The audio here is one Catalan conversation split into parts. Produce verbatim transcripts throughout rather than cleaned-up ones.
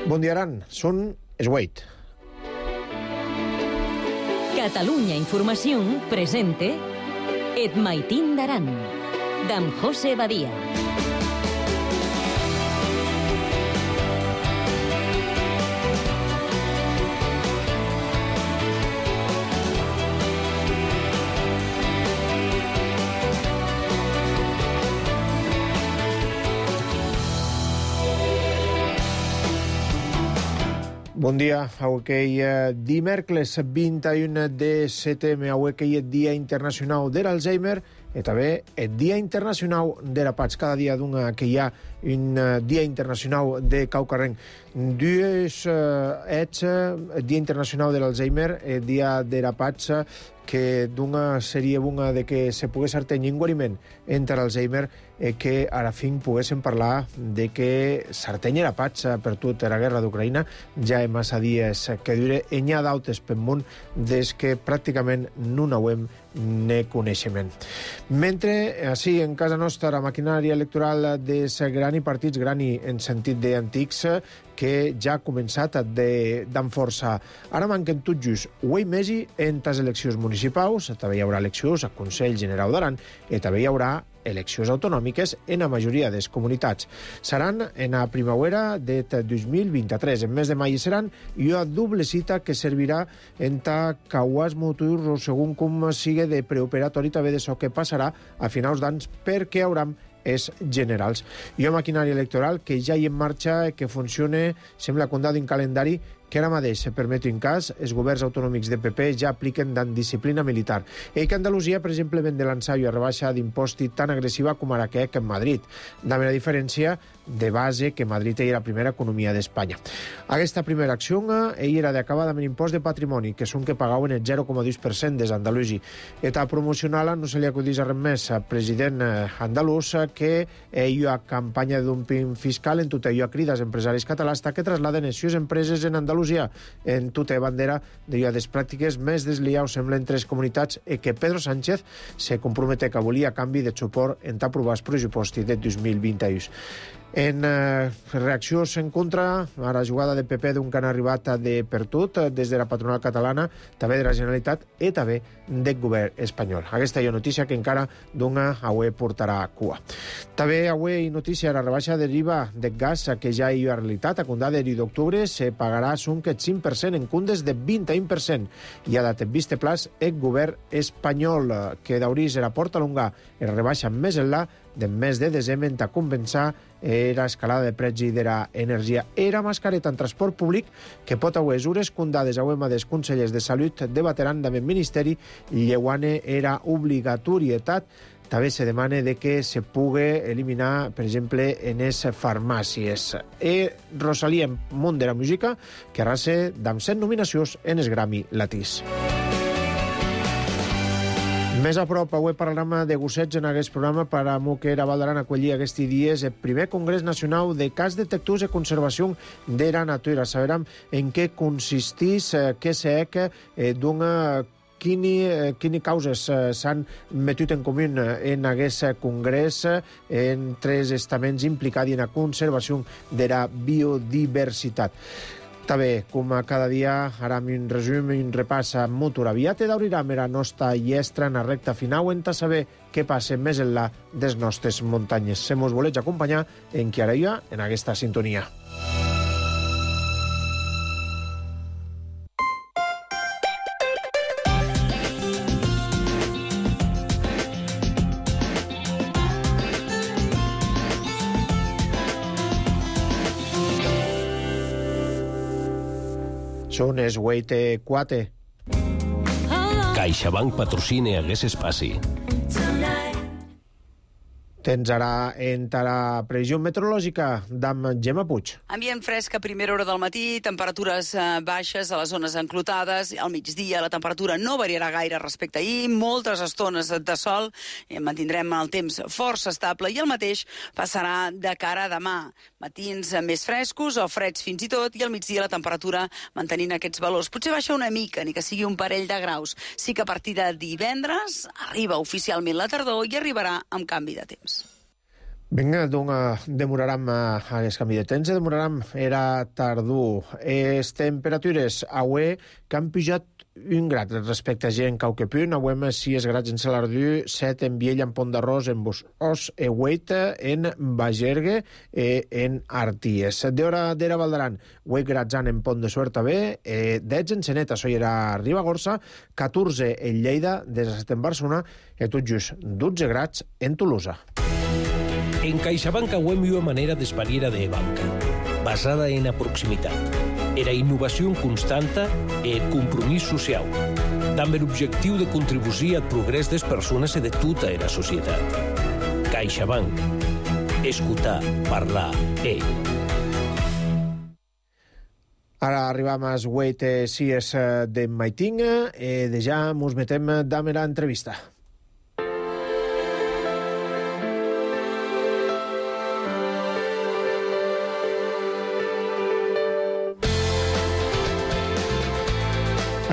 Bon dia, Aran. Són es vuit. Catalunya Informació presente Et Maitín d'Aran, d'en José Badia. Bon dia, avui dimecres vint-i-un de setembre, avui és Dia Internacional de l'Alzheimer i també el Dia Internacional de la Paz. Cada dia d'una que hi ha un Dia Internacional de Caucarrenc. Dues ets el Dia Internacional de l'Alzheimer, el Dia de la Paz, que d'una seria una de que se pogués artenir un guariment entre l'Alzheimer i que a la fin poguéssim parlar de que s'artenya la paz per tota la guerra d'Ucraïna. Ja hi ha massa dies que dure i n'hi ha d'altres pel món des que pràcticament no n'hauem ne coneixement. Mentre, així, en casa nostra, la maquinària electoral dels grans partits, gran en sentit d'antics, que ja ha començat d'enforçar. Ara manquen tot just un mes en les eleccions municipals, també hi haurà eleccions al Consell General d'Aran i també hi haurà eleccions autonòmiques en la majoria de les comunitats. Seran en la primavera de dos mil vint-i-tres. En mes de maig seran i una doble cita que servirà en ta cauàs motors o segon com sigui de preoperatori també d'això que passarà a finals d'anys perquè hauran és generals. Hi ha maquinària electoral que ja hi en marxa, que funciona, sembla com d'un calendari que ara mateix, se permeti un cas, els governs autonòmics de P P ja apliquen dan disciplina militar. I que Andalusia, per exemple, ven de lançar una rebaixa d'imposti tan agressiva com ara que en Madrid. Dame la diferència de base que Madrid era la primera economia d'Espanya. Aquesta primera acció ell era d'acabar amb l'impost de patrimoni, que són que pagaven el zero coma dos per cent des d'Andalusi. Eta promocional no se li acudís res més al president andalús que hi ha campanya de dumping fiscal en tot allò a crides empresaris catalans que trasladen les seves empreses en Andalusia en tota bandera de les pràctiques més desliaus semblen tres comunitats i que Pedro Sánchez se compromete que volia a canvi de suport en aprovar el pressupost de dos mil vint-i-u. En eh, reaccions en contra a la jugada de P P d'un que han arribat de per tot, des de la patronal catalana, també de la Generalitat i també del govern espanyol. Aquesta hi ha notícia que encara d'una avui portarà a cua. També avui notícia la rebaixa de l'IVA del gas, que ja hi ha realitat. A comptar de d'octubre se pagarà un cinc per cent en comptes de vint-i-un per cent. I ha dat vist plaç el govern espanyol, que d'haurís la porta longa i rebaixa més enllà del mes de desembre en compensar era escalada de preus de l'energia. Era mascareta en transport públic que pot haver mesures condades a UEMA dels consellers de salut debateran amb el Ministeri i lleuane era obligatorietat. També se demana de que se pugui eliminar, per exemple, en les farmàcies. I Rosalía, en món de la música, que arrasa amb set nominacions en els Grammy Latins. Més a prop, avui parlarem de gossets en aquest programa per a que era Valdaran acollir aquests dies el primer Congrés Nacional de Cas Detectius de Conservació de la Natura. Sabrem en què consisteix, què s'ha d'una Quines, quines causes s'han metut en comú en aquest congrés entre els estaments implicats en la conservació de la biodiversitat. També, com cada dia, ara un resum i un repàs a Motor aviat i d'obrirem la nostra llestra en la recta final en saber què passa més enllà de les nostres muntanyes. Se mos voleu acompanyar en qui ara hi ha en aquesta sintonia. Són els vuit i quatre. CaixaBank patrocina aquest espai. Tens ara en la previsió meteorològica d'en Gemma Puig. Ambient fresc a primera hora del matí, temperatures baixes a les zones enclotades. Al migdia la temperatura no variarà gaire respecte a ahir, moltes estones de sol, i mantindrem el temps força estable i el mateix passarà de cara a demà. Matins més frescos o freds fins i tot, i al migdia la temperatura mantenint aquests valors. Potser baixa una mica, ni que sigui un parell de graus. Sí que a partir de divendres arriba oficialment la tardor i arribarà amb canvi de temps. Vinga, doncs demoraram aquest canvi de temps, demoraram era tardor. Les temperatures avui que han pujat un grad respecte a gent cau que punt, avui sis grads en Salardú, set en Viella, en Pont d'Arròs, en Bosòs, en Hueita, en Bagergue, en Arties. D'hora d'era Valdaran, vuit grads en Pont de Suert també, dotze en Senet, això era Ribagorça, catorze en Lleida, disset en Barcelona, i tot just dotze grads en Tolosa. En CaixaBank auem una manera d'espariera de banca, basada en la proximitat, era innovació constanta e compromís social, amb l'objectiu de contribuir al progrés des persones i de tota la societat. CaixaBank. Escutar, parlar, e... Ara arribam als vuit sies de Maitinga i de ja mos metem amb la entrevista.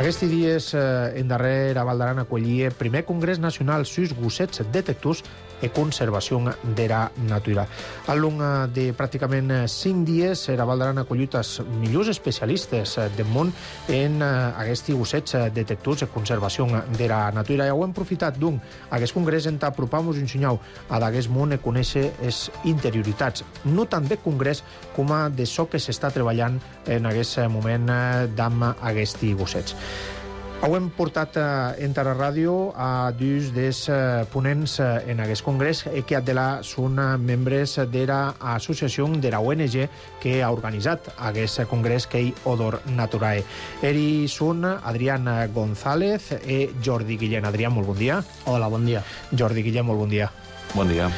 Aquests dies, en darrer, a Valdaran acollia el primer Congrés Nacional sus Gossets Detectors e Conservació de la Natura. Al long de pràcticament cinc dies, a Valdaran ha acollit els millors especialistes del món en aquests gossets detectors e conservació de la natura. I ho hem aprofitat d'un aquest congrés en apropar-nos un senyal a d'aquest món i conèixer les interioritats, no tant de congrés com a de so que s'està treballant en aquest moment d'amb aquests gossets. Ho hem portat en la ràdio a dos dels ponents en aquest congrés que de la són membres de l'associació de la O N G que ha organitzat aquest congrés que és Odor Naturae. Ells són Adrián González i Jordi Guillén. Adrián, molt bon dia. Hola, bon dia. Jordi Guillén, molt bon dia. Bon dia.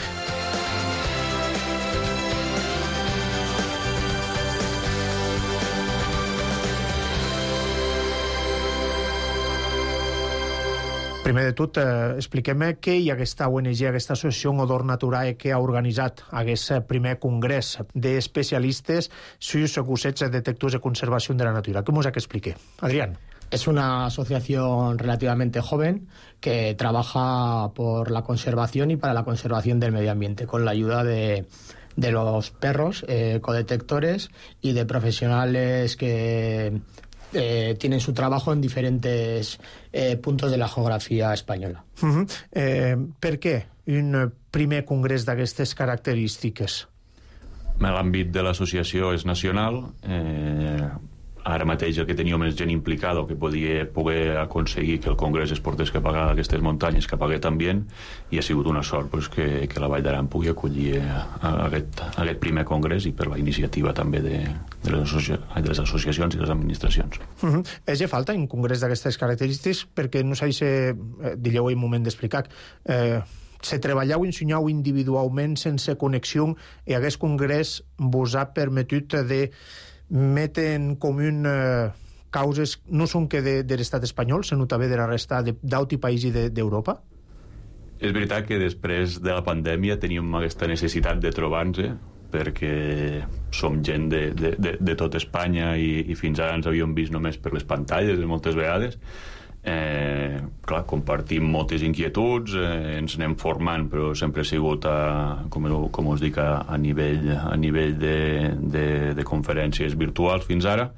Primer de tot, eh, expliquem què hi ha aquesta O N G, aquesta associació Odor Naturae que ha organitzat aquest primer congrés d'especialistes sus gossets detectors de conservació de la natura. ¿Cómo es que explique? Adrián. Es una asociación relativamente joven que trabaja por la conservación y para la conservación del medio ambiente, con la ayuda de, de los perros eh, codetectores y de profesionales que Eh, tienen su trabajo en diferentes eh, puntos de la geografía española. Uh-huh. eh, per què un primer congrés d'aquestes característiques? L'àmbit de l'associació és nacional. Eh, ara mateix el que teníem més gent implicada que podia poder aconseguir que el congrés es portés cap a aquestes muntanyes, cap a aquest ambient, i ha sigut una sort pues, que, que la Vall d'Aran pugui acollir a, a, aquest, a aquest primer congrés i per la iniciativa també de, de, les, associa de les associacions i les administracions. Uh -huh. És ja falta un congrés d'aquestes característiques perquè no s'ha de, eh, digueu un moment d'explicar, eh, se treballeu i ensenyeu individualment sense connexió i aquest congrés vos ha permetut de metre en comú eh, causes no són que de, de l'estat espanyol, sinó també de la resta d'altres països d'Europa? És veritat que després de la pandèmia teníem aquesta necessitat de trobar-nos perquè som gent de, de, de, de tot Espanya i, i fins ara ens havíem vist només per les pantalles moltes vegades. Eh, clar, compartim moltes inquietuds, eh, ens anem formant, però sempre ha sigut a, com, com us dic, a, a nivell, a nivell de, de, de conferències virtuals fins ara,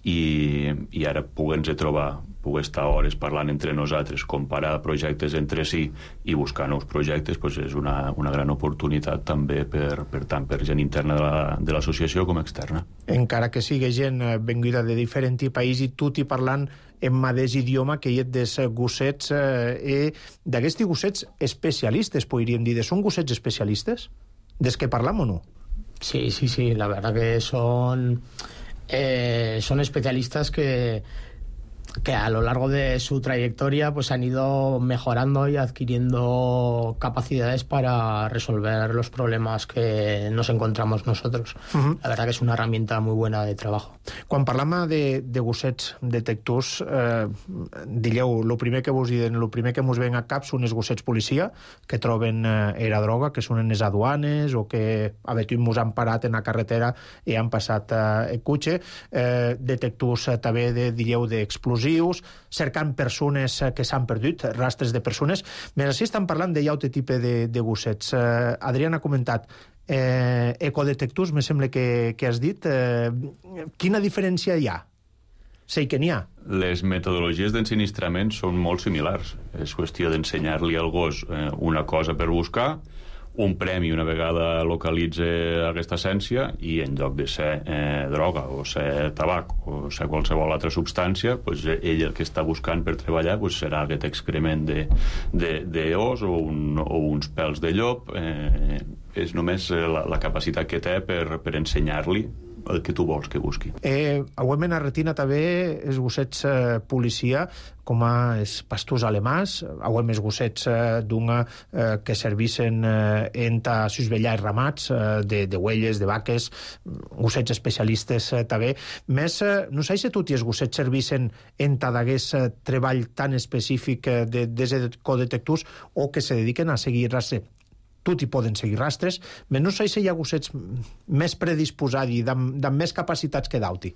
i, i ara poder-nos trobar, poder estar hores parlant entre nosaltres, comparar projectes entre si i buscar nous projectes, pues és una, una gran oportunitat també per, per tant per gent interna de l'associació la, com externa. Encara que sigui gent venguda de diferents països i tot i parlant en mateix idioma que hi ha dels gossets eh, d'aquests gossets especialistes, podríem dir. Són gossets especialistes? Des que parlam o no? Sí, sí, sí, la verdad que son eh, son especialistas que que a lo largo de su trayectoria pues han ido mejorando y adquiriendo capacidades para resolver los problemas que nos encontramos nosotros. Uh-huh. La verdad que es una herramienta muy buena de trabajo. Quan parlam de, de gossets detectors, eh, digueu, el primer que vos diuen, el primer que mos ven a cap són els gossets policia, que troben eh, la droga, que són en les aduanes o que a veure, mos han parat en la carretera i han passat eh, el cotxe. Eh, detectors eh, també de, digueu, d'explosions explosius, cercant persones que s'han perdut, rastres de persones. Més així estan parlant de llaute tipus de, de gossets. Eh, Adrián ha comentat eh, ecodetectors, me sembla que, que has dit. Eh, quina diferència hi ha? Sé que n'hi ha. Les metodologies d'ensinistrament són molt similars. És qüestió d'ensenyar-li al gos eh, una cosa per buscar, un premi una vegada localitza aquesta essència, i en lloc de ser eh, droga o ser tabac o ser qualsevol altra substància, pues, ell el que està buscant per treballar pues, serà aquest excrement de, de, de os o, un, o uns pèls de llop. Eh, és només la, la capacitat que té per, per ensenyar-li el que tu vols que busqui. Eh, auem en Argentina també els gossets eh, policia, com a els pastors alemans, auem els gossets eh, d'una eh, que servissen eh, enta susvellar ramats eh, de, de huelles, de vaques, gossets especialistes eh, també. Més, eh, no sé si tots els gossets servissen enta d'aguest eh, treball tan específic eh, de, de codetectors o que se dediquen a seguir rastre. Tot hi poden seguir rastres, però no sé si hi ha gossets més predisposats i amb, amb més capacitats que d'auti.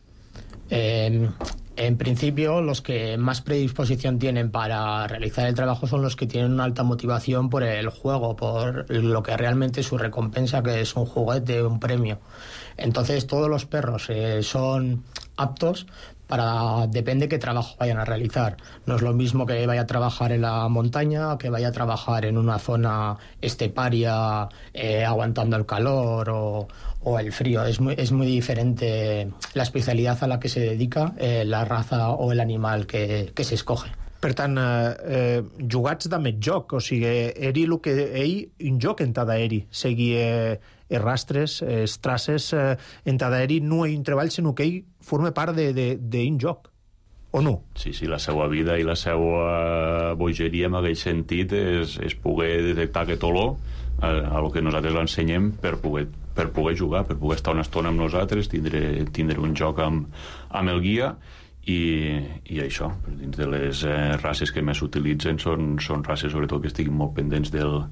Eh, en principio, los que más predisposición tienen para realizar el trabajo son los que tienen una alta motivación por el juego, por lo que realmente es su recompensa, que es un juguete, un premio. Entonces, todos los perros eh, son aptos para, depende qué trabajo vayan a realizar. No es lo mismo que vaya a trabajar en la montaña, que vaya a trabajar en una zona esteparia eh, aguantando el calor o, o el frío. Es muy, es muy diferente la especialidad a la que se dedica, eh, la raza o el animal que, que se escoge. Per tant, eh, eh, jugats de més joc, o sigui, eri el que ell, un joc en cada eri, seguir eh, els rastres, els traces, eh, en cada eri no hi ha un treball, sinó que ell forma part d'un joc, o no? Sí, sí, la seva vida i la seva bogeria en aquell sentit és, és poder detectar aquest olor a, a lo que nosaltres l'ensenyem per poder, per poder jugar, per poder estar una estona amb nosaltres, tindre, tindre un joc amb, amb el guia. I, i això, dins de les eh, races que més s'utilitzen són, són races sobretot que estiguin molt pendents del,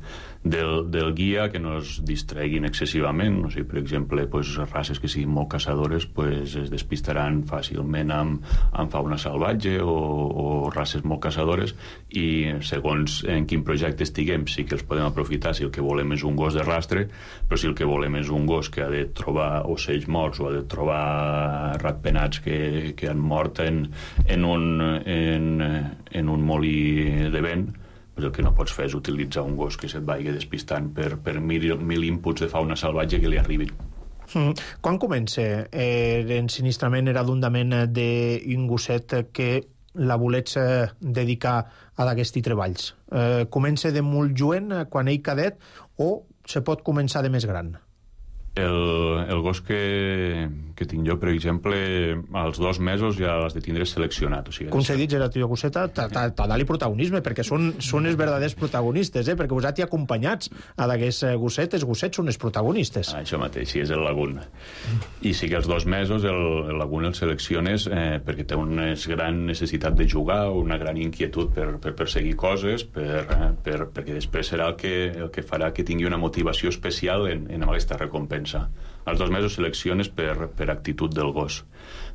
del, del guia, que no es distreguin excessivament. O sigui, per exemple, pues, races que siguin molt caçadores pues, es despistaran fàcilment amb, amb fauna salvatge o, o races molt caçadores, i segons en quin projecte estiguem sí que els podem aprofitar si el que volem és un gos de rastre, però si el que volem és un gos que ha de trobar ocells morts o ha de trobar ratpenats que, que han mort En, en, un, en, en un molí de vent, pues el que no pots fer és utilitzar un gos que se't vagi despistant per, per mil, mil inputs de fauna salvatge que li arribin. Mm. Quan comença eh, l'ensinistrament eradundament d'un gosset que la volets eh, dedicar a d'aquests treballs? Eh, comença de molt jovent, quan ell cadet, o se pot començar de més gran? El, el gos que, que tinc jo, per exemple, als dos mesos ja l'has de tindre seleccionat. O sigui, com s'ha dit, la teva gosseta, t'ha de protagonisme, perquè són, són els verdaders protagonistes, eh? Perquè vosaltres hi acompanyats a d'aquests gossetes, els gossets són els protagonistes. Ah, això mateix, sí, és el Lagoon. I sí que als dos mesos el, el Lagoon el selecciones eh, perquè té una gran necessitat de jugar, una gran inquietud per, per perseguir coses, per, eh, per, perquè després serà el que, el que farà que tingui una motivació especial en, en aquesta recompensa. Als dos mesos selecciones per, per actitud del gos.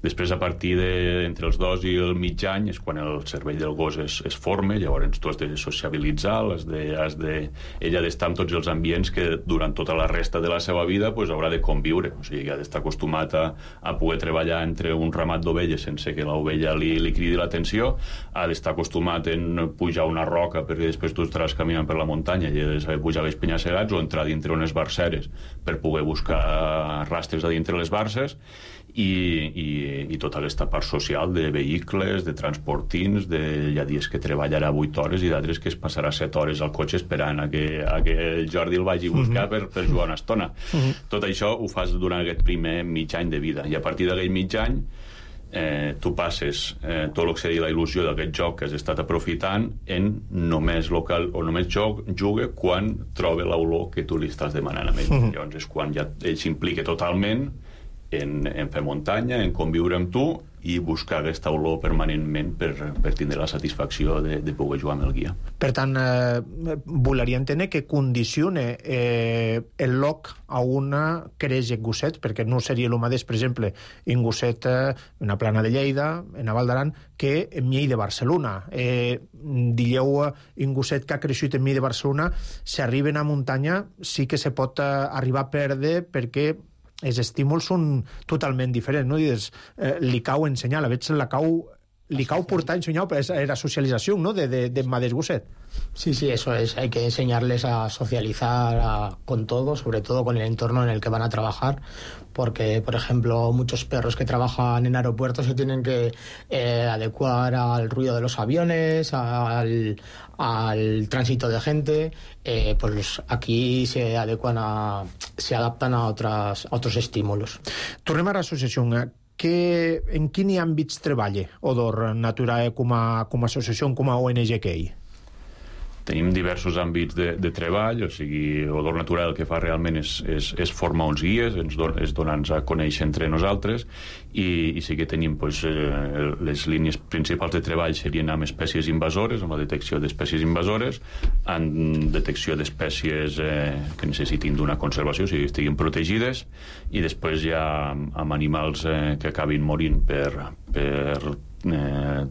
Després, a partir de, entre els dos i el mig any, és quan el cervell del gos es, es forma, llavors tu has de sociabilitzar, has de, has de, ell ha d'estar en tots els ambients que durant tota la resta de la seva vida pues, haurà de conviure. O sigui, ha d'estar acostumat a, a poder treballar entre un ramat d'ovelles sense que l'ovella li, li cridi l'atenció, ha d'estar acostumat en pujar una roca perquè després tu estaràs caminant per la muntanya i ha de saber pujar els penya-segats o entrar dintre unes barceres per poder buscar rastres a dintre les barces, i, i, i tota aquesta part social de vehicles, de transportins, de, hi ha dies que treballarà vuit hores i d'altres que es passarà set hores al cotxe esperant a que, a que el Jordi el vagi a buscar per, per jugar una estona. Uh-huh. Tot això ho fas durant aquest primer mig any de vida, i a partir d'aquell mig any eh, tu passes eh, tot el que seria la il·lusió d'aquest joc que has estat aprofitant en només local o només joc, juga quan troba l'olor que tu li estàs demanant a ell. Uh-huh. Llavors és quan ja ell s'implica totalment en, en fer muntanya, en conviure amb tu i buscar aquesta olor permanentment per, per tindre la satisfacció de, de poder jugar amb el guia. Per tant, eh, voleria entendre que condicione eh, el loc a una creix en gosset, perquè no seria el mateix, per exemple, en gosset eh, en una plana de Lleida, en a Val d'Aran, que en Miei de Barcelona. Eh, digueu, en gosset que ha crescut en Miei de Barcelona, si arriben a muntanya, sí que se pot eh, arribar a perdre perquè els estímuls són totalment diferents, no? I des, eh, li cau ensenyar, a vegades la cau, li cau portar a ensenyar, però és la socialització, ¿no?, de, de, de Madés Gosset. Sí, sí, eso es. Hay que enseñarles a socializar a, con todo, sobre todo con el entorno en el que van a trabajar, porque, por ejemplo, muchos perros que trabajan en aeropuertos se tienen que eh, adecuar al ruido de los aviones, al, al tránsito de gente, eh, pues aquí se adecuan a, se adaptan a, otras, a otros estímulos. Tornem a l'associació. Que, en quins àmbits treballa Odor Naturae com a, com a associació, com a O N G que hi? Tenim diversos àmbits de, de treball, o sigui, Odor Naturae el que fa realment és, és, és formar uns guies, ens don, és donar-nos a conèixer entre nosaltres, i, i sí que tenim pues, eh, les línies principals de treball serien amb espècies invasores, amb la detecció d'espècies invasores, amb detecció d'espècies eh, que necessitin d'una conservació, o sigui, que estiguin protegides, i després ja amb animals eh, que acabin morint per... per eh,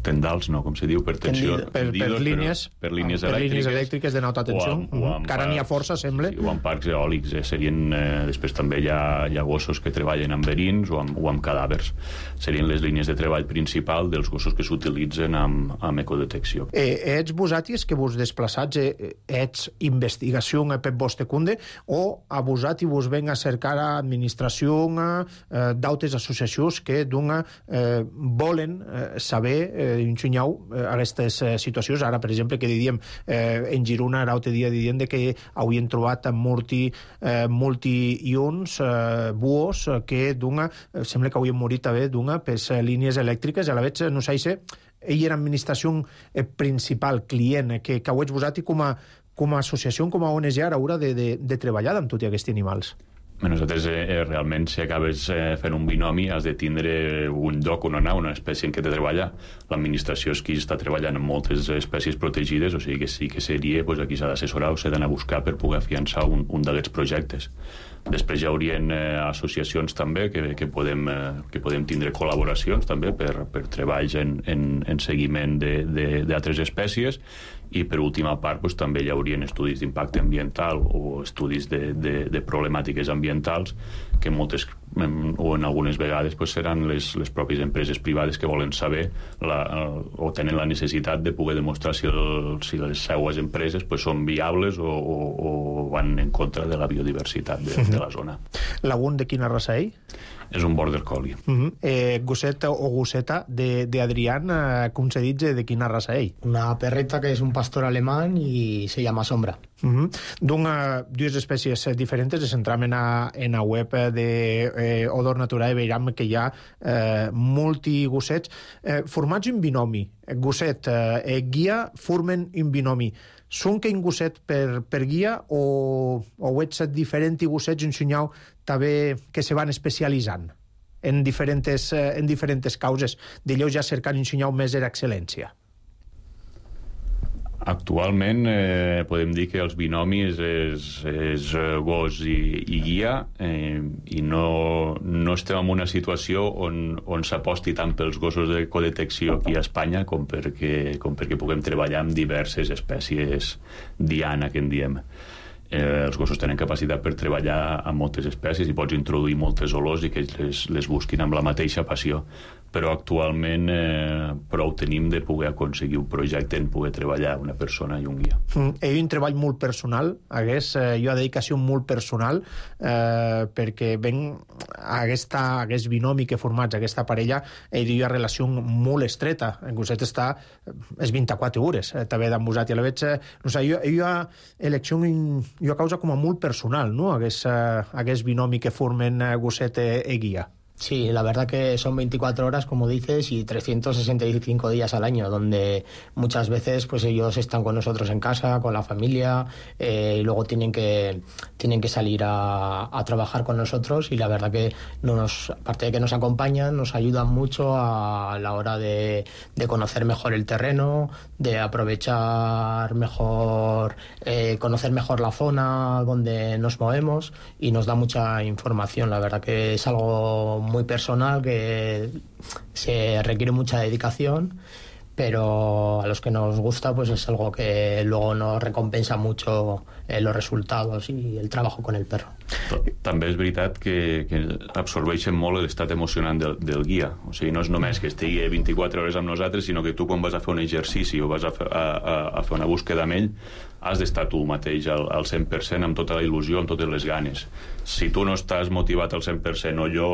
tendals, no, com se diu, per tensió... Per, per, línies, per línies per elèctriques, línies elèctriques de alta tensió. Que ara n'hi ha força, sembla. Sí, o amb parcs eòlics. Eh, serien, eh, després també hi ha, hi ha gossos que treballen amb verins o amb, o amb cadàvers. Serien les línies de treball principal dels gossos que s'utilitzen amb, amb ecodetecció. Eh, ets vosaltres que vos desplaçats, eh, ets investigació per vostre compte, o a vosaltres vos ven a cercar a administració eh, d'altres associacions que d'una eh, volen eh, saber eh, ensenyau eh, aquestes eh, situacions. Ara, per exemple, que diríem eh, en Girona, l'altre dia diríem de que havien trobat multi, eh, multi-ions eh, buos eh, que d'una, eh, sembla que havien morit també d'una per eh, línies elèctriques, a la vegada no sé si ell era administració eh, principal, client, eh, que, que ho ets vosaltres com a, com a associació, com a O N G, ara haurà de, de, de treballar amb tots aquests animals. Nosaltres, eh, realment, si acabes eh, fent un binomi, has de tindre un lloc on anar, una espècie en què de treballar. L'administració és qui està treballant amb moltes espècies protegides, o sigui que sí que seria, pues, aquí s'ha d'assessorar o s'ha d'anar a buscar per poder afiançar un, un d'aquests projectes. Després hi haurien eh, associacions també que, que, podem, eh, que podem tindre col·laboracions també per, per treballs en, en, en seguiment d'altres espècies, i per última part pues, també hi haurien estudis d'impacte ambiental o estudis de, de, de problemàtiques ambientals que moltes o en algunes vegades pues, seran les, les pròpies empreses privades que volen saber la, o tenen la necessitat de poder demostrar si, el, si les seues empreses pues, són viables o, o, o van en contra de la biodiversitat de, de la zona. Lagun de quina raça ell? És un border collie. Uh -huh. eh, gosset o gosseta de, de Adrián, eh, com se dice, de quina raça ell? Una perreta que es un pastor alemán y se llama Sombra. Uh -huh. D'una, dues espècies diferents, ens centram en la, en la web de eh, Odor Naturae i veiem que hi ha eh, multigossets eh, formats en binomi. Gosset eh, guia formen un binomi. Són que un gosset per, per guia o, o ets diferent i gossets ensenyau també que se van especialitzant en diferents, eh, en diferents causes? D'allò ja cercant ensenyau més l'excel·lència. Actualment eh, podem dir que els binomis és, és gos i, i guia, eh, i no, no estem en una situació on, on s'aposti tant pels gossos de codetecció aquí a Espanya com perquè, com perquè puguem treballar amb diverses espècies diana, que en diem. Eh, els gossos tenen capacitat per treballar amb moltes espècies i pots introduir moltes olors i que les, les busquin amb la mateixa passió, però actualment eh, prou tenim de poder aconseguir un projecte en poder treballar una persona i un guia. Mm, ell un treball molt personal, hagués, eh, jo dedicació molt personal, eh, perquè ben aquesta, aquest binomi que formats, aquesta parella, ell hi ha relació molt estreta. En Gosset està és vint-i-quatre hores, eh, també d'en vosaltres. I a la veig, eh, no sé, jo, jo ha elecció jo a causa com a molt personal, no?, aquest, eh, aquest binomi que formen eh, Gosset i guia. Sí, la verdad que son veinticuatro horas, como dices, y trescientos sesenta y cinco días al año, donde muchas veces pues ellos están con nosotros en casa, con la familia, eh, y luego tienen que tienen que salir a, a trabajar con nosotros, y la verdad que nos, aparte de que nos acompañan, nos ayudan mucho a la hora de, de conocer mejor el terreno, de aprovechar mejor, eh, conocer mejor la zona donde nos movemos, y nos da mucha información. La verdad que es algo muy personal, que se requiere mucha dedicación, pero a los que nos gusta pues es algo que luego nos recompensa mucho eh, los resultados i el treball con el perro. També és veritat que, que absorbeixen molt l'estat emocionant del, del guia. O sigui, no és només que estigui vint-i-quatre hores amb nosaltres, sinó que tu quan vas a fer un exercici o vas a fer, a, a, a fer una búsqueda amb ell, has d'estar tu mateix al, al cent per cent, amb tota la il·lusió, amb totes les ganes. Si tu no estàs motivat al cent per cent, o jo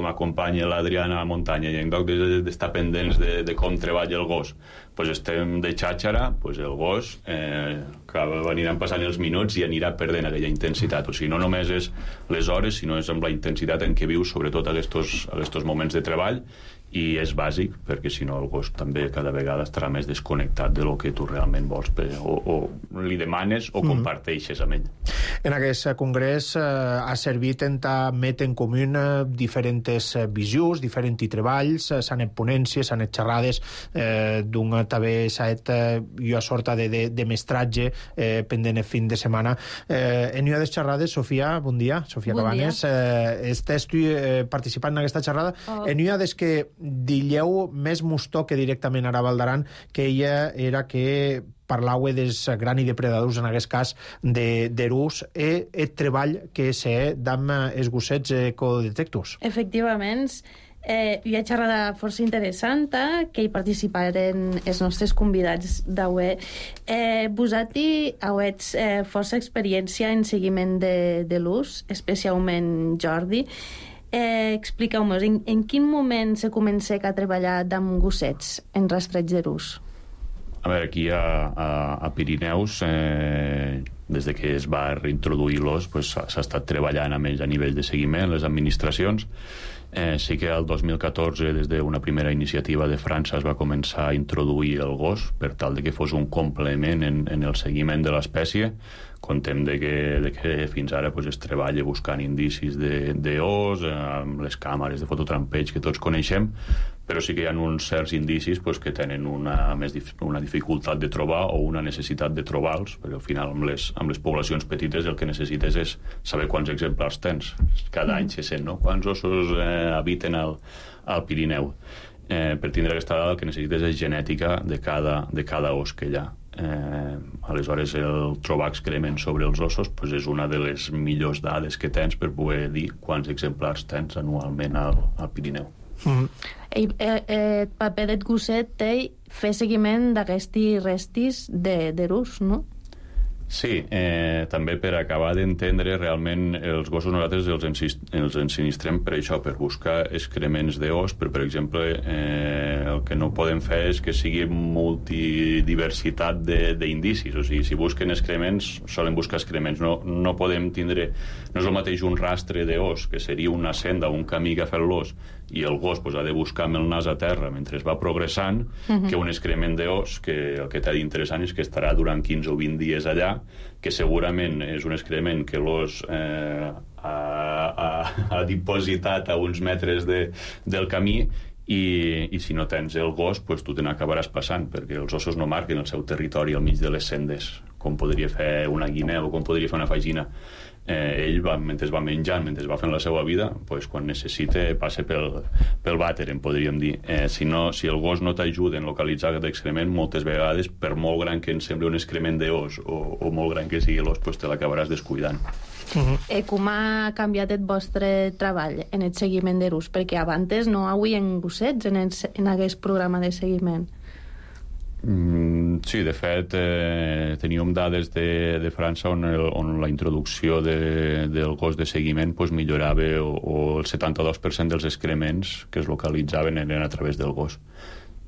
m'acompanyo l'Adriana a la muntanya i en lloc d'estar pendents de, de com treballa el gos, pues estem de xàxara, pues el gos eh, que aniran passant els minuts i anirà perdent aquella intensitat. O sigui, no només és les hores, sinó és amb la intensitat en què vius, sobretot a aquests moments de treball, i és bàsic, perquè si no el gos també cada vegada estarà més desconnectat de lo que tu realment vols, o, o li demanes o comparteixes amb ell. En aquest congrés eh, ha servit en met en comú diferents visions, diferents treballs, s'han et ponències, s'han et xerrades, eh, d'un també s'ha et eh, jo a sorta de, de, de mestratge eh, pendent el fin de setmana. Eh, en una de les xerrades, Sofia, bon dia, Sofia bon Cabanes, eh, estàs tu eh, participant en aquesta xerrada. Oh. En una des que dilleu més mostó que directament ara Valdaran, que ella era que parlava dels grans i depredadors, en aquest cas d'erús, e el treball que sé d'amb els gossets ecodetectors. Efectivament, eh, hi ha xerrada força interessant que hi participaren els nostres convidats d'avui. Eh, vosaltres heu eh, força experiència en seguiment de, de l'ús, especialment Jordi. Eh, Expliqueu-nos, en, en quin moment se comença a treballar amb gossets en rastreig d'erús? A veure, aquí a, a, a Pirineus, eh, des de que es va reintroduir l'os, pues, s'ha estat treballant amb ells a nivell de seguiment, les administracions. Eh, sí que el dos mil catorze, des d'una primera iniciativa de França, es va començar a introduir el gos per tal de que fos un complement en, en el seguiment de l'espècie. Contem de que, de que fins ara pues, es treballa buscant indicis d'os, amb les càmeres de fototrampeig que tots coneixem, però sí que hi ha uns certs indicis pues, que tenen una, més dif una dificultat de trobar o una necessitat de trobar-los, perquè al final amb les, amb les poblacions petites el que necessites és saber quants exemplars tens. Cada any se sent, no? Quants ossos eh, habiten al, al Pirineu. Eh, per tindre aquesta dada el que necessites és genètica de cada, de cada os que hi ha. Eh, aleshores el trobar excrements sobre els ossos pues, és una de les millors dades que tens per poder dir quants exemplars tens anualment al, al Pirineu. Mm. El, el, el paper del gosset té fer seguiment d'aquestes restes d'erús, no? Sí, eh, també per acabar d'entendre realment els gossos nosaltres els, els ensinistrem per això, per buscar excrements d'os, però per exemple eh, el que no podem fer és que sigui multidiversitat d'indicis, o sigui, si busquen excrements solen buscar excrements, no, no podem tindre, no és el mateix un rastre d'os, que seria una senda, un camí que ha fet l'os, i el gos pues, ha de buscar amb el nas a terra mentre es va progressant, uh-huh. que un excrement d'os, que el que t'ha d'interessant és que estarà durant quinze o vint dies allà, que segurament és un excrement que l'os eh, ha, ha, ha dipositat a uns metres de, del camí, i, i si no tens el gos, pues, tu te n'acabaràs passant, perquè els ossos no marquen el seu territori al mig de les sendes, com podria fer una guineu o com podria fer una fagina. Eh, ell, va, mentre va menjant, mentre va fent la seva vida, pues, quan necessita passa pel, pel vàter, en podríem dir. Eh, si, no, si el gos no t'ajuda en localitzar aquest excrement, moltes vegades, per molt gran que ens sembli un excrement d'os o, o molt gran que sigui l'os, pues, te l'acabaràs descuidant. Uh-huh. eh, com ha canviat el vostre treball en el seguiment d'erús? Perquè abans no hi havia gossets en, el, en aquest programa de seguiment. Mm, sí, de fet eh, teníem dades de, de França on, el, on la introducció de, del gos de seguiment pues, millorava o, o el setanta-dos per cent dels excrements que es localitzaven eren a través del gos,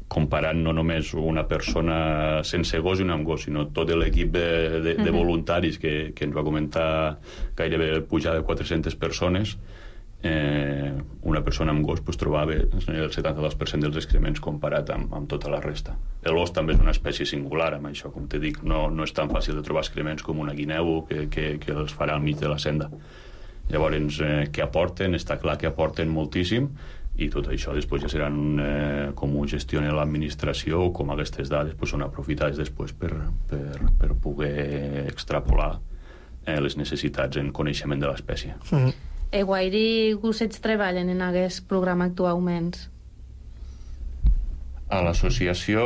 comparant no només una persona sense gos i una amb gos, sinó tot l'equip de, de, de voluntaris que, que ens va comentar gairebé pujar de quatre-centes persones, eh, una persona amb gos pues, trobava el setanta-dos per cent dels excrements comparat amb, amb tota la resta. El gos també és una espècie singular, amb això, com te dic, no, no és tan fàcil de trobar excrements com una guineu que, que, que els farà al mig de la senda. Llavors, eh, què aporten? Està clar que aporten moltíssim, i tot això després ja seran eh, com ho gestiona l'administració o com aquestes dades pues, són aprofitades després per, per, per poder extrapolar eh, les necessitats en coneixement de l'espècie. Mm-hmm. E guairi gossets treballen en aquest programa actualment? A l'associació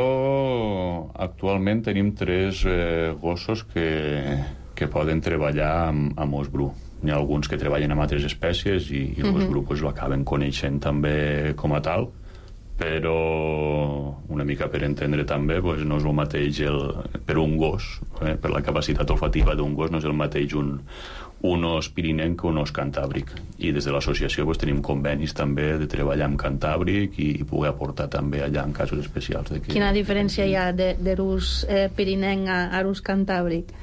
actualment tenim tres eh, gossos que, que poden treballar amb, amb os bru. N'hi ha alguns que treballen amb altres espècies i, i els grups pues, l'acaben coneixent també com a tal, però una mica per entendre també pues, no és el mateix el, per un gos, eh, per la capacitat olfativa d'un gos no és el mateix un, un os pirinenc que un os cantàbric, i des de l'associació pues, tenim convenis també de treballar amb cantàbric i, i poder aportar també allà en casos especials de que... Quina diferència hi ha de, de l'ús eh, pirinenc a, a l'ús cantàbric?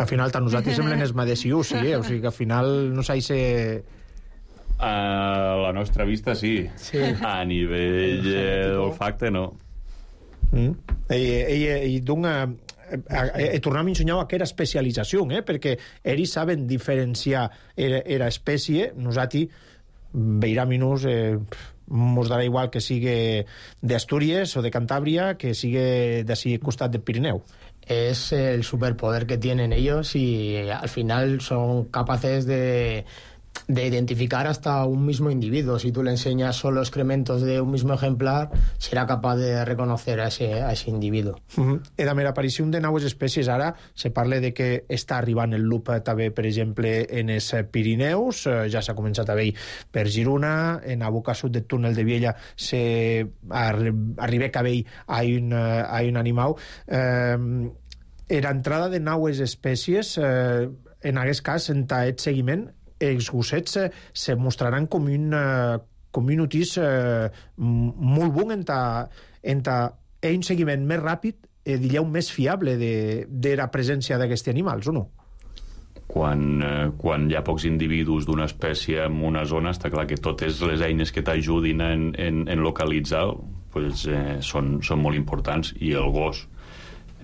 Al final, tant nosaltres semblen els madesius, sí, eh? O sigui que al final no s'ha de... A la nostra vista, sí. sí. A nivell eh, d'olfacte, no. Mm. I, i, i d'una... E tornem a ensenyar aquesta especialització, eh? Perquè ells saben diferenciar era espècie. Nosaltres, veiraminus, eh, mos darà igual que sigui d'Astúries o de Cantàbria que sigui d'ací costat del Pirineu. Es el superpoder que tienen ellos y al final son capaces de, de identificar hasta un mismo individuo. Si tú le enseñas solo excrementos de un mismo ejemplar, será capaz de reconocer a ese, a ese individuo. Uh-huh. I amb l'aparició de noves espècies ara se parla de que està arribant el lup també, per exemple, en els Pirineus, ja s'ha començat a veure per Girona, en Aboca Sud del túnel de Viella se arriba a veure a un, a un animal. Eh, l'entrada de noves espècies, eh, en aquest cas, en aquest seguiment, els gossets eh, se mostraran com un, eh, com un utís eh, molt bon en, ta, en ta, un seguiment més ràpid, eh, diríeu, més fiable de, de la presència d'aquests animals, o no? Quan, eh, quan hi ha pocs individus d'una espècie en una zona, està clar que totes les eines que t'ajudin en, en, en localitzar pues, eh, són, són molt importants, i el gos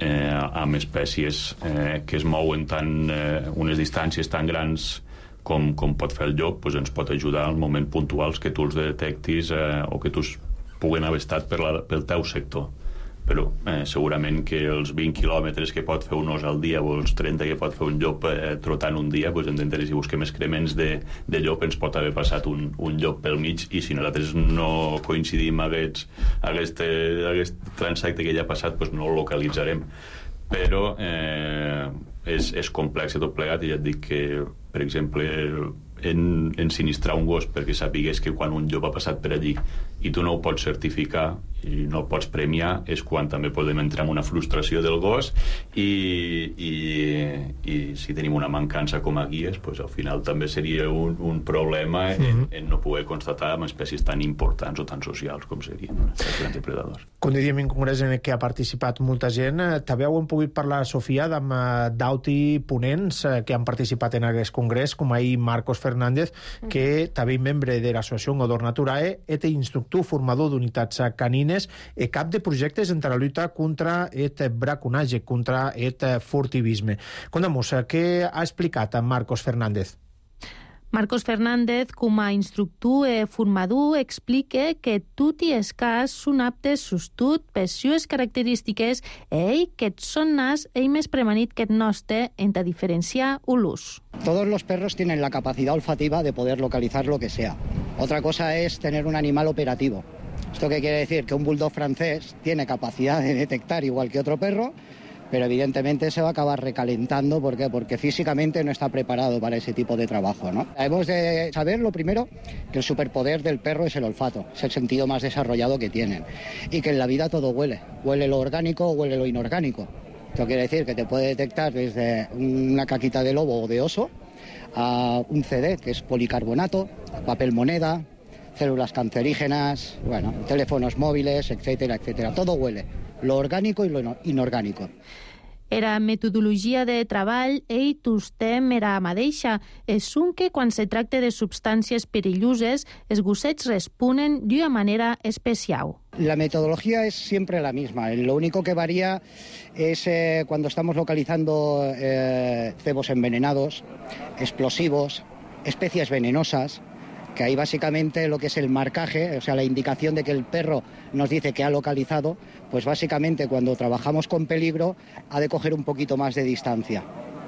eh, amb espècies eh, que es mouen tant, eh, unes distàncies tan grans com, com pot fer el llop, pues ens pot ajudar en moments puntuals que tu els detectis eh, o que tu puguen haver estat per la, pel teu sector. Però eh, segurament que els vint quilòmetres que pot fer un os al dia o els trenta que pot fer un llop eh, trotant un dia, pues entenderé, si busquem excrements de, de llop ens pot haver passat un, un llop pel mig, i si nosaltres no coincidim amb aquest, aquest, aquest transacte que ja ha passat, pues no el localitzarem. Però eh, és, és complex tot plegat, i ja et dic que, per exemple, en, ensinistrar un gos perquè sapigués que quan un llop ha passat per allí i tu no ho pots certificar i no el pots premiar, és quan també podem entrar en una frustració del gos, i, i, i si tenim una mancança com a guies, pues al final també seria un, un problema en, mm-hmm. en no poder constatar amb espècies tan importants o tan socials com serien els grans depredadors. Com diríem, en congrés en què ha participat molta gent, també heu pogut parlar, Sofia, amb d'auti ponents que han participat en aquest congrés, com ahir Marcos Fernández, que també és membre de l'associació Odor Naturae, és instructor formador d'unitats canines e cap de projectes en la lluita contra el braconatge, contra el furtivisme. Contem-nos, què ha explicat Marcos Fernández? Marcos Fernández, com a instructor e formador, explica que tot i els cas són aptes sostut per sues característiques e que són nas e més premanit que el nostre en a diferenciar l'ús. Todos los perros tienen la capacidad olfativa de poder localizar lo que sea. Otra cosa es tener un animal operativo. ¿Esto qué quiere decir? Que un bulldog francés tiene capacidad de detectar igual que otro perro, pero evidentemente se va a acabar recalentando. ¿Por qué? Porque físicamente no está preparado para ese tipo de trabajo, ¿no? Hemos de saber, lo primero, que el superpoder del perro es el olfato, es el sentido más desarrollado que tienen, y que en la vida todo huele, huele lo orgánico o huele lo inorgánico. Esto quiere decir que te puede detectar desde una caquita de lobo o de oso a un C D, que es policarbonato, papel moneda, células cancerígenas, bueno, teléfonos móviles, etcétera, etcétera. Todo huele, lo orgánico y lo inorgánico. Era metodologia de treball ei tostem era mateixa. És un que quan se tracta de substàncies perilloses, els gossets responen d'una manera especial. La metodología es siempre la misma. Lo único que varía es eh, cuando estamos localizando eh, cebos envenenados, explosivos, especies venenosas, que ahí básicamente lo que es el marcaje, o sea, la indicación de que el perro nos dice que ha localizado, pues básicamente cuando trabajamos con peligro ha de coger un poquito más de distancia.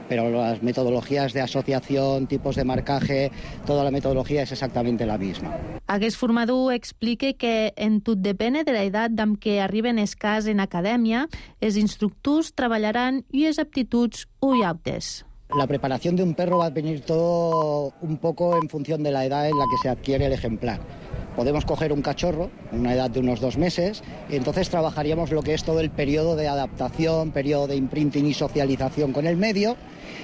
Pero las metodologías de asociación, tipos de marcaje, toda la metodología es exactamente la misma. Aquest formador explica que en tot depèn de l'edat amb què arriben els cas en acadèmia, els instructors treballaran unes aptituds o altres. La preparación de un perro va a venir todo un poco en función de la edad en la que se adquiere el ejemplar. Podemos coger un cachorro, una edad de unos dos meses, y entonces trabajaríamos lo que es todo el periodo de adaptación, periodo de imprinting y socialización con el medio,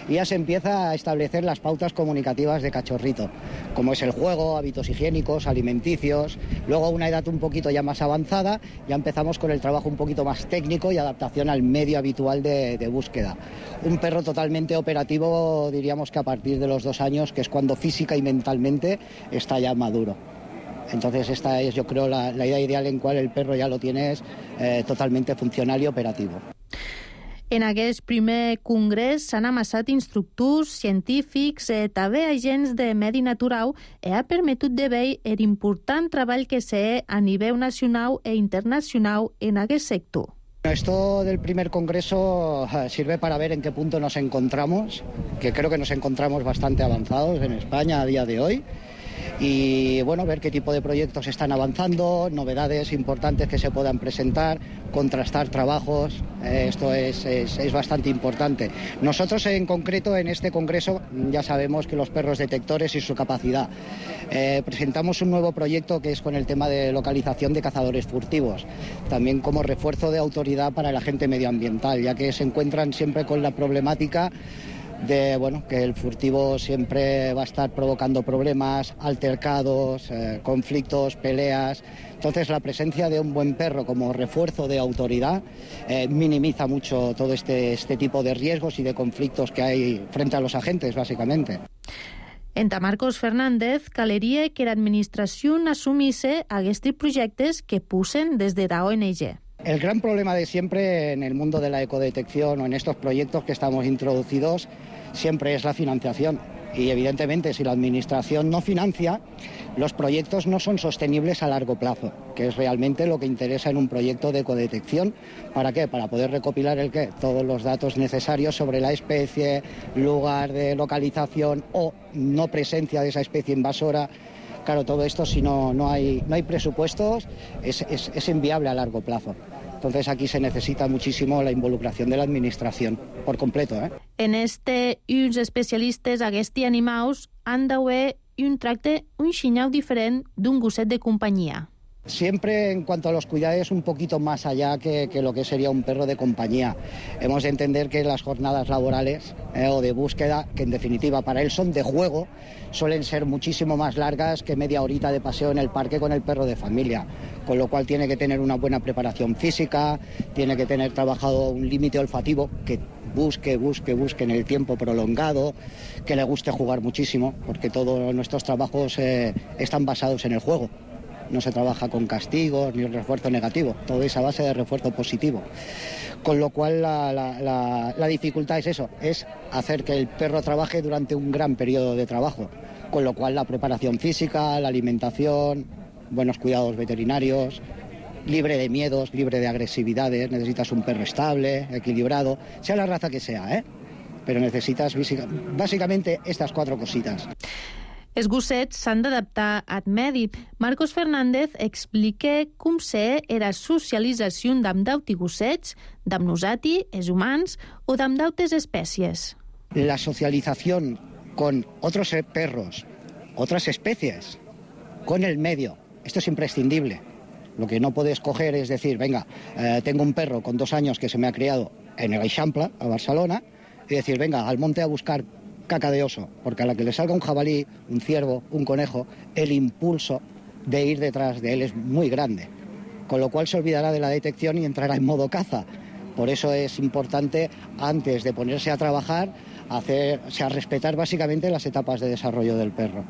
y ya se empieza a establecer las pautas comunicativas de cachorrito, como es el juego, hábitos higiénicos, alimenticios. Luego a una edad un poquito ya más avanzada, ya empezamos con el trabajo un poquito más técnico y adaptación al medio habitual de, de búsqueda. Un perro totalmente operativo, diríamos que a partir de los dos años, que es cuando física y mentalmente está ya maduro. Entonces esta es, yo creo, la, la idea ideal en cual el perro ya lo tienes eh, totalmente funcional i operatiu. En aquest primer congrés s'han amassat instructors, científics, eh, també agents de medi natural i ha permetut de veure l'important treball que se fa a nivell nacional e internacional en aquest sector. Esto del primer congreso sirve para ver en qué punto nos encontramos, que creo que nos encontramos bastante avanzados en España a día de hoy. Y bueno, ver qué tipo de proyectos están avanzando, novedades importantes que se puedan presentar, contrastar trabajos, eh, esto es, es, es bastante importante. Nosotros en concreto en este congreso ya sabemos que los perros detectores y su capacidad. Eh, presentamos un nuevo proyecto que es con el tema de localización de cazadores furtivos, también como refuerzo de autoridad para el agente medioambiental, ya que se encuentran siempre con la problemática de bueno, que el furtivo siempre va a estar provocando problemas, altercados, eh, conflictos, peleas. Entonces la presencia de un buen perro como refuerzo de autoridad eh, minimiza mucho todo este, este tipo de riesgos y de conflictos que hay frente a los agentes, básicamente. Enta Marcos Fernández caleria que l'administració assumisse aquests projectes que pusen des de la O N G. El gran problema de siempre en el mundo de la ecodetección o en estos proyectos que estamos introducidos siempre es la financiación. Y evidentemente si la administración no financia, los proyectos no son sostenibles a largo plazo, que es realmente lo que interesa en un proyecto de ecodetección. ¿Para qué? Para poder recopilar el qué, todos los datos necesarios sobre la especie, lugar de localización o no presencia de esa especie invasora. Claro, todo esto si no, no, hay, no hay presupuestos es, es, es inviable a largo plazo. Entonces aquí se necesita muchísimo la involucración de la administración, por completo. ¿eh? En este, uns especialistes aquests animals han d'haver un tracte, un xinyau diferent d'un gosset de companyia. Siempre en cuanto a los cuidados un poquito más allá que, que lo que sería un perro de compañía. Hemos de entender que las jornadas laborales eh, o de búsqueda, que en definitiva para él son de juego, suelen ser muchísimo más largas que media horita de paseo en el parque con el perro de familia. Con lo cual tiene que tener una buena preparación física, tiene que tener trabajado un límite olfativo que busque, busque, busque en el tiempo prolongado, que le guste jugar muchísimo, porque todos nuestros trabajos eh, están basados en el juego. No se trabaja con castigos ni refuerzo negativo, todo es a base de refuerzo positivo. Con lo cual la, la, la, la dificultad es eso, es hacer que el perro trabaje durante un gran periodo de trabajo. Con lo cual la preparación física, la alimentación, buenos cuidados veterinarios, libre de miedos, libre de agresividades, necesitas un perro estable, equilibrado, sea la raza que sea, ¿eh? Pero necesitas básicamente estas cuatro cositas. Els gossets s'han d'adaptar al medi. Marcos Fernández explica com se era socialització d'amb d'auti gossets, d'amb nosati, els humans, o d'amb d'autes espècies. La socialización con otros perros, otras especies, con el medio, esto es imprescindible. Lo que no puedes coger es decir, venga, eh, tengo un perro con dos años que se me ha criado en el Eixample, a Barcelona, y decir, venga, al monte a buscar caca de oso, porque a la que le salga un jabalí, un ciervo, un conejo, el impulso de ir detrás de él es muy grande, con lo cual se olvidará de la detección y entrará en modo caza. Por eso es importante, antes de ponerse a trabajar, hacer, o sea, respetar básicamente las etapas de desarrollo del perro.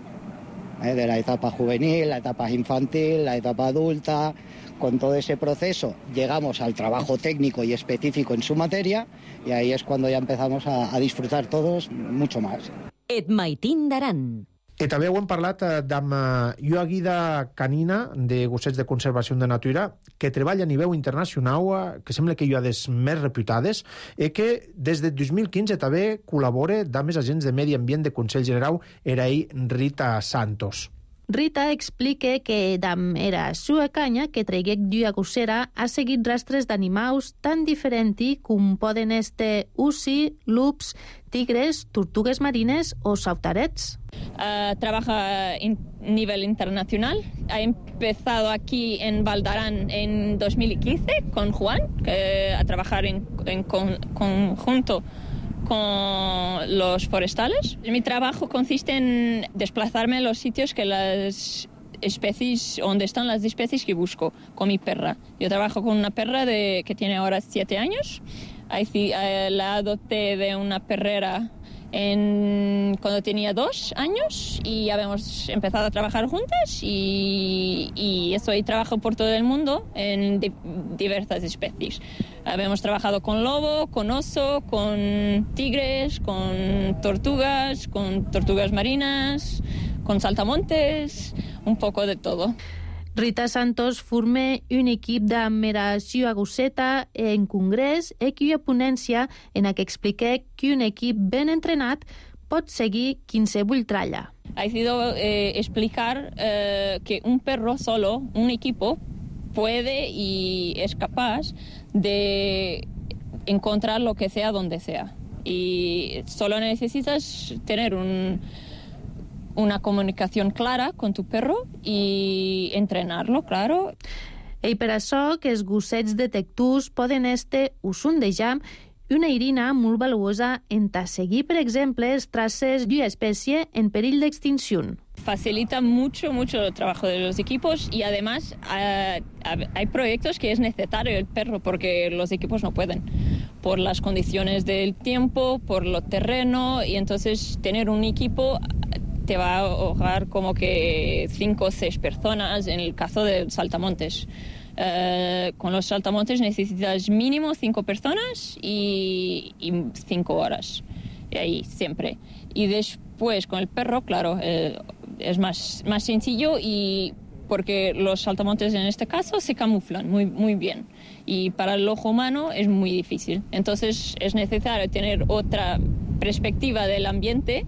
¿Eh? De la etapa juvenil, la etapa infantil, la etapa adulta. Con todo ese proceso llegamos al trabajo técnico y específico en su materia y ahí es cuando ya empezamos a, a disfrutar todos mucho más. Et Maitín d'Aran. I també ho hem parlat amb una guida canina de gossets de conservació de natura que treballa a nivell internacional, que sembla que hi ha des més reputades, i que des de dos mil quinze també col·labora amb els agents de medi ambient de Consell General, era ell Rita Santos. Rita explica que dam era sua canya que traiguec d'ua gossera ha seguit rastres d'animaus tan diferenti com poden este usi, lups, tigres, tortugues marines o sautarets. Uh, trabaja a in- nivel internacional. Ha empezado aquí en Valdarán en dos mil quince con Juan, que, a trabajar en, en con, conjunto con los forestales. Mi trabajo consiste en desplazarme a los sitios que las especies, donde están las especies que busco, con mi perra. Yo trabajo con una perra de, que tiene ahora siete años. Ahí, eh, la adopté de una perrera en, cuando tenía dos años y habíamos empezado a trabajar juntas y, y estoy trabajo por todo el mundo en di, diversas especies. Habíamos trabajado con lobo, con oso, con tigres, con tortugas, con tortugas marinas, con saltamontes, un poco de todo. Rita Santos forma un equip de meració a gosseta en congrés i que hi ha ponència en què explica que un equip ben entrenat pot seguir qualsevol tralla. Ha sido eh, explicar eh, que un perro solo, un equipo, puede y es capaz de encontrar lo que sea donde sea. Y solo necesitas tener un... una comunicación clara con tu perro i entrenarlo, claro. I per això que els gossets detectors poden este usondejar una eirina molt valuosa en ta seguir, per exemple, els traces d'una espècie en perill d'extinció. Facilita mucho, mucho el trabajo de los equipos y además uh, hay proyectos que es necesario el perro porque los equipos no pueden por las condiciones del tiempo, por lo terreno y entonces tener un equipo te va a ahogar como que cinco o seis personas en el caso de saltamontes. Uh, con los saltamontes necesitas mínimo cinco personas y, y cinco horas. Y ahí siempre. Y después con el perro, claro, eh, es más, más sencillo y porque los saltamontes en este caso se camuflan muy, muy bien. Y para el ojo humano es muy difícil. Entonces es necesario tener otra perspectiva del ambiente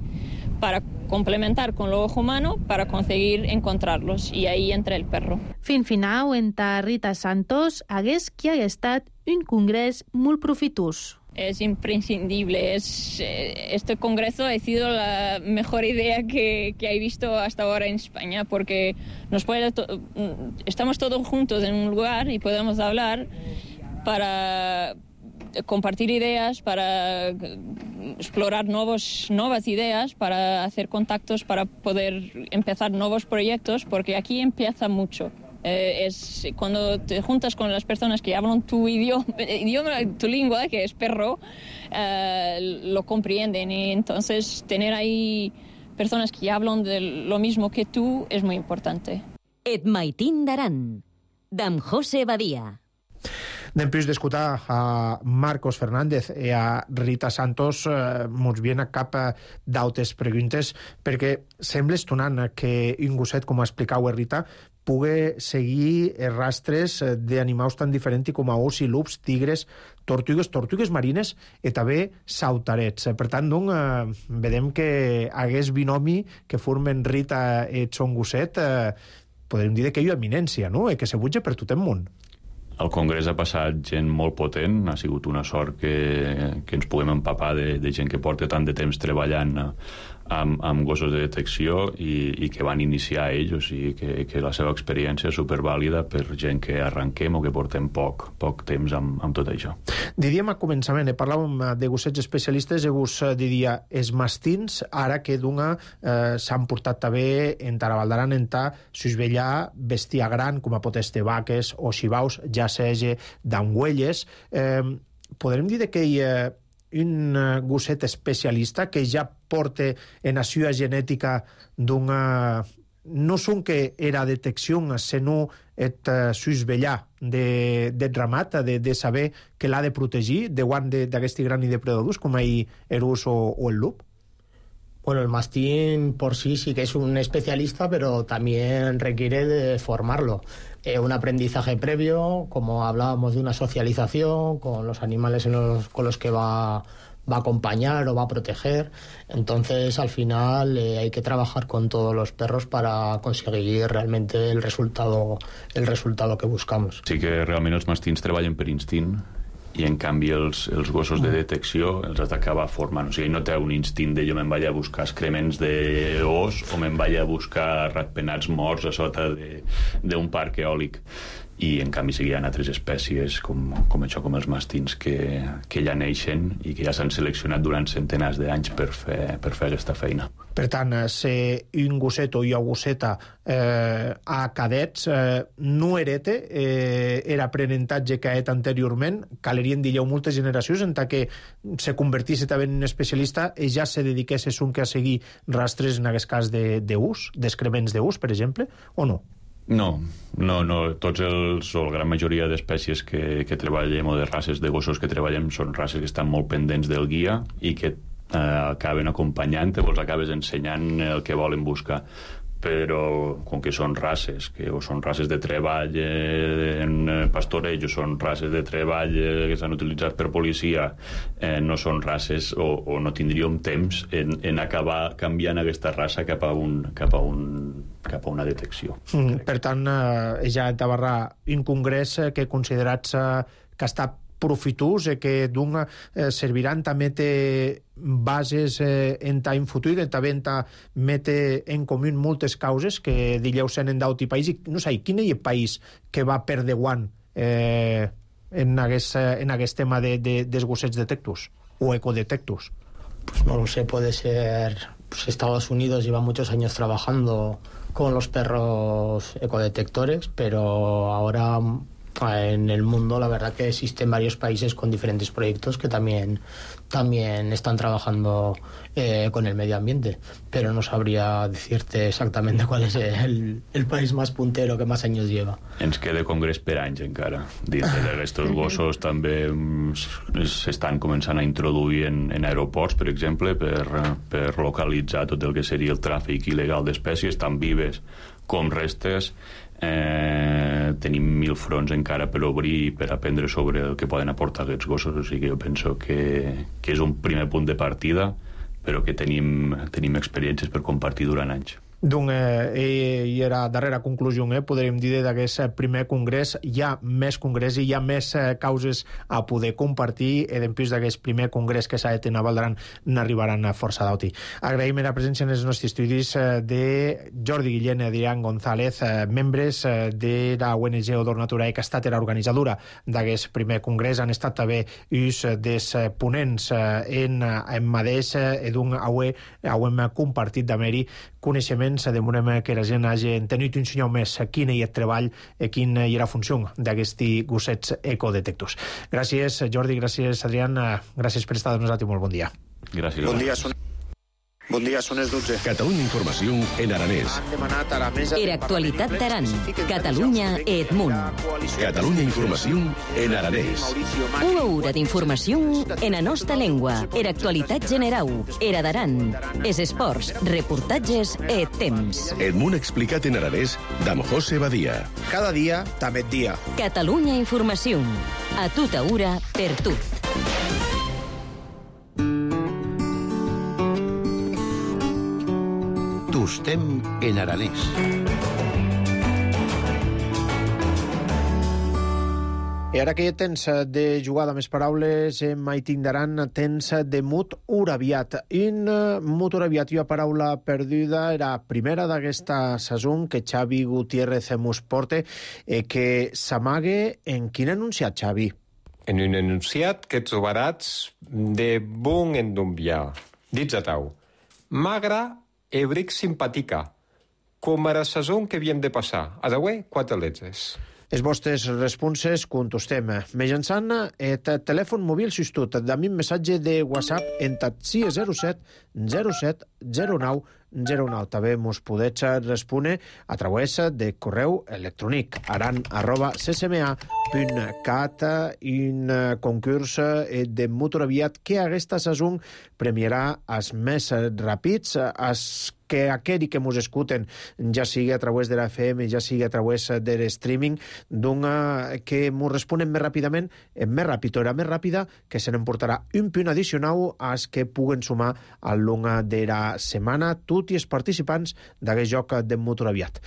para complementar con lo ojo humano para conseguir encontrarlos, y ahí entra el perro. Fin final, en ta Rita Santos, hagués que hagués estat un congrés molt profitós. Es imprescindible. Es, este congreso ha sido la mejor idea que, que he visto hasta ahora en España, porque nos puede to- estamos todos juntos en un lugar y podemos hablar para compartir ideas, para explorar nuevos, nuevas ideas, para hacer contactos, para poder empezar nuevos proyectos, porque aquí empieza mucho. Eh, es cuando te juntas con las personas que hablan tu idioma, idioma tu lengua, que es perro, eh, lo comprenden, y entonces tener ahí personas que hablan de lo mismo que tú es muy importante. Et Maitín d'Aran, d'en José Badia. Anem plus d'escoltar a Marcos Fernández i a Rita Santos, eh, mos viene a cap d'altres preguntes, perquè sembla estonant que un gosset, com explicau Rita, pugui seguir rastres d'animals tan diferents com a os i lups, tigres, tortugues, tortugues marines i també sautarets. Per tant, doncs, eh, vedem que hagués binomi que formen Rita i son gosset, eh, podríem dir que hi ha eminència, no? I que se butja per tot el món. Al Congrés ha passat gent molt potent, ha sigut una sort que, que ens puguem empapar de, de gent que porta tant de temps treballant amb, amb gossos de detecció i, i que van iniciar ells, o sigui que, que la seva experiència és supervàlida per gent que arranquem o que portem poc, poc temps amb, amb tot això. Diríem a començament, eh, parlàvem de gossets especialistes, i vos diria els mastins, ara que d'una eh, s'han portat també en Tarabaldaran, en ta susvellar bèstia gran, com a pot este vaques o xivaus, ja sigui d'angüelles. Eh, podrem dir que hi ha un gosset especialista que ja porta en la seva genètica d'una... no son que era detecció, sinó et uh, susvellar de, de ramat, de, de saber que l'ha de protegir davant d'aquest gran i depredadors com el erus o, o el lup? Bueno, el mastín por sí sí que es un especialista, pero también requiere de formarlo. Eh, un aprendizaje previo, como hablábamos de una socialización con los animales en los, con los que va, va a acompañar o va a proteger. Entonces, al final, eh, hay que trabajar con todos los perros para conseguir realmente el resultado, el resultado que buscamos. Sí que realment els mastins treballen per instint, i en canvi els, els gossos de detecció els has d'acabar formant, o sigui, no té un instint de jo me'n vaig a buscar excrements d'os o me'n vaig a buscar ratpenats morts a sota d'un parc eòlic, i en canvi sí que hi ha altres espècies com, com això, com els mastins que, que ja neixen i que ja s'han seleccionat durant centenars d'anys per fer, per fer aquesta feina. Per tant, ser un gosset o una gosseta eh, a cadets eh, no herete eh, era aprenentatge que ha et anteriorment, calerien dir-ho moltes generacions en tant que se convertís també en un especialista i ja se dediqués un que a seguir rastres en aquest cas d'ús, d'excrements d'ús, per exemple, o no? No, no, no. Tots els, o la gran majoria d'espècies que, que treballem o de races de gossos que treballem són races que estan molt pendents del guia i que eh, acaben acompanyant, o els acabes ensenyant el que volen buscar. Però com que són races que o són races de treball eh, en pastoreig o són races de treball eh, que s'han utilitzat per policia, eh, no són races o, o no tindríem temps en, en acabar canviant aquesta raça cap a, un, cap a, un, cap a una detecció. Mm, per tant, eh, ja tabarrà un congrés que considerats eh, que està profitós, eh, que d'un eh, serviran també té bases eh, en ta futur, també en ta mete en comú moltes causes que dilleu sent en d'auti país, i no sé, quin és el país que va per davant eh, en, aquest, en aquest tema de, de, dels gossets detectus o ecodetectus? Pues no lo sé, puede ser pues Estados Unidos lleva muchos años trabajando con los perros ecodetectores, pero ahora en el mundo la verdad que existen varios países con diferentes proyectos que también, también están trabajando eh, con el medio ambiente, pero no sabría decirte exactamente cuál es el, el país más puntero que más años lleva. Ens queda congrés per anys encara. Dintre d'aquests gossos també s'estan començant a introduir en, en aeroports, per exemple, per, per localitzar tot el que seria el tràfic il·legal d'espècies, tan vives com restes. Eh, tenim mil fronts encara per obrir i per aprendre sobre el que poden aportar aquests gossos, o sigui que jo penso que, que és un primer punt de partida, però que tenim, tenim experiències per compartir durant anys. Doncs eh, i era darrera conclusió, eh, podríem dir d'aquest primer congrés hi ha més congrés i hi ha més eh, causes a poder compartir, i després d'aquest primer congrés que s'ha de tenir a Valdaran n'arribaran a força d'auti. Agraïm la presència en els nostres estudis eh, de Jordi Guillén i Adrián González, eh, membres eh, de la O N G Odor Naturae, que ha estat la organitzadora d'aquest primer congrés. Han estat també uns dels ponents eh, en, en mateix eh, d'un aué, auem compartit d'haver-hi coneixements, demorem que la gent hagi tenit un senyal més quin és el treball i quina és la funció d'aquests gossets ecodetectors. Gràcies, Jordi, gràcies, Adrián, gràcies per estar amb nosaltres, molt bon dia. Gràcies. Bon dia, són... Bon dia, són les dotze. Catalunya Informació en aranès. Era actualitat d'Aran. Catalunya et Munt. Catalunya Informació en aranès. Una hora d'informació en la nostra llengua. Era actualitat generau. Era d'Aran. Es esports, reportatges et temps. Et Munt explicat en aranès d'Am José Badia. Cada dia, també et dia. Catalunya Informació. A tota hora, per tu. Tustem en aranès. I ara que hi ha temps de jugar amb les paraules, em tindran temps de mut uraviat. In mut uraviat i una paraula perduda era primera d'aquesta saison que Xavi Gutiérrez mos porta, eh, que s'amague en quin enunciat, Xavi? En un enunciat que trobaràs de bon endumbiar. Dits a tau. Magra e bric simpatica, com a la saison que viem de passar. Adaué, quatre letres. Els vostres responses contestem mitjançant el telèfon mòbil substitut d'ami missatge de WhatsApp en sis zero set zero set zero nou zero nou. També mos podeu respondre a través de correu electrònic aran arroba c c m a punt cat. Un concurs de motoraviat que aquesta saison premiarà els més ràpids, els que aquells que mos escuten, ja sigui a través de la F M, ja sigui a través de l'streaming, que mos responen més ràpidament, més ràpid o era més ràpida, que se n'emportarà un punt addicional als que puguen sumar al long de la setmana tots els participants d'aquest joc de motoraviat.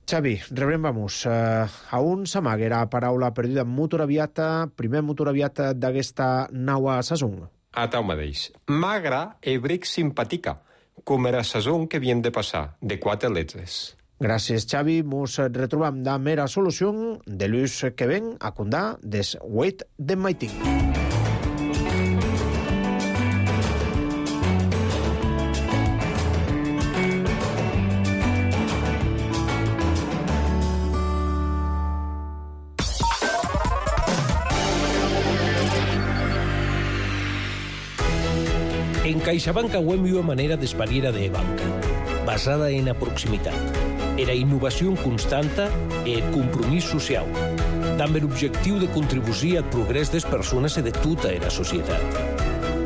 Xavi, rebrem, vamos, a un s'amaguera paraula perduda motoraviata, primer motoraviat d'aquesta nova saison. A tau mateix. Magra e bric simpatica, com era saison que havien de passar, de quatre letres. Gràcies, Xavi. Mos retrobam de mera solució de l'ús que ven a condar des Wait de Maiting. En CaixaBank auem una manera d'espariera de banca, basada en la proximitat. Era innovació constanta e compromís social, amb l'objectiu de contribuir al progrés des persones i de tota la societat.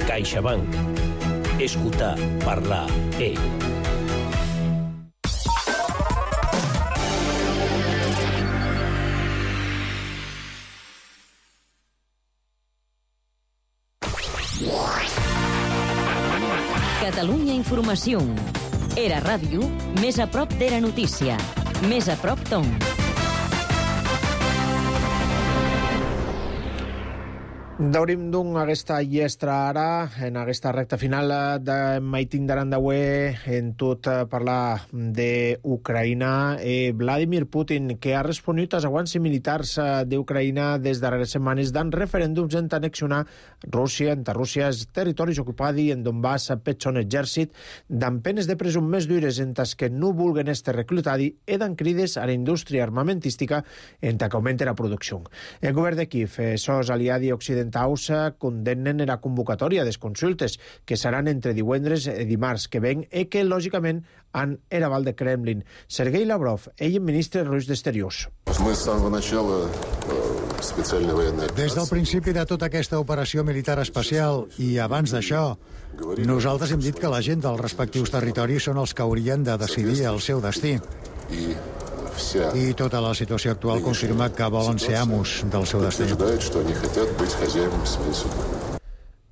CaixaBank. Escutar, parlar, e... Catalunya Informació. Era ràdio, més a prop d'era notícia. Més a prop d'on. Daurim d'un aquesta llestra ara, en aquesta recta final de Maiting d'Arandaué, en tot parlar d'Ucraïna. Eh, Vladimir Putin, que ha responut als aguants militars d'Ucraïna des darreres setmanes d'en referèndums en annexionar Rússia, entre Rússia, els territoris ocupats i en Donbass per son exèrcit, d'en penes de presó més dures en tas que no vulguen estar reclutats i d'en crides a la indústria armamentística en ta que augmenta la producció. El govern de Kiev, eh, sos aliats occidentals, condemnen la convocatòria de consultes que seran entre divendres i dimarts que ven i que, lògicament, han eraval de Kremlin. Sergei Lavrov, ell ministre rus d'Exteriors. Des del principi de tota aquesta operació militar especial i abans d'això, nosaltres hem dit que la gent dels respectius territoris són els que haurien de decidir el seu destí. I tota la situació actual confirma que volen ser amos del seu destí.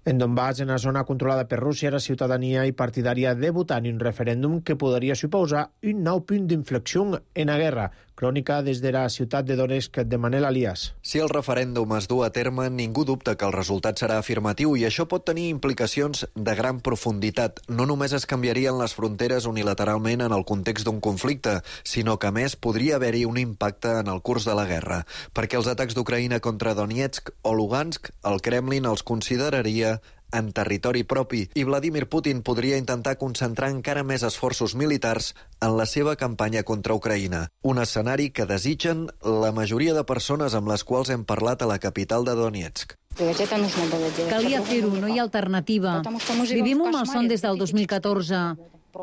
En Donbass, en la zona controlada per Rússia, la ciutadania i partidària de votar en un referèndum que podria suposar un nou punt d'inflexió en la guerra. Crònica des de la ciutat de Donetsk de Manel Alias. Si el referèndum es du a terme, ningú dubta que el resultat serà afirmatiu i això pot tenir implicacions de gran profunditat. No només es canviarien les fronteres unilateralment en el context d'un conflicte, sinó que, a més, podria haver-hi un impacte en el curs de la guerra, perquè els atacs d'Ucraïna contra Donetsk o Lugansk, el Kremlin els consideraria en territori propi i Vladimir Putin podria intentar concentrar encara més esforços militars en la seva campanya contra Ucraïna. Un escenari que desitgen la majoria de persones amb les quals hem parlat a la capital de Donetsk. Calia fer-ho, no hi ha alternativa. Vivim un malson des del dos mil catorze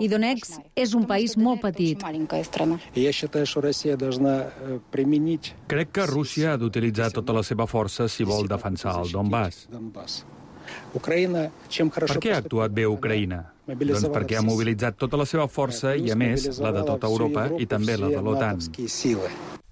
i Donetsk és un país molt petit. Crec que Rússia ha d'utilitzar tota la seva força si vol defensar el Donbass. Per què ha actuat bé Ucraïna? Doncs perquè ha mobilitzat tota la seva força i, a més, la de tota Europa i també la de l'OTAN.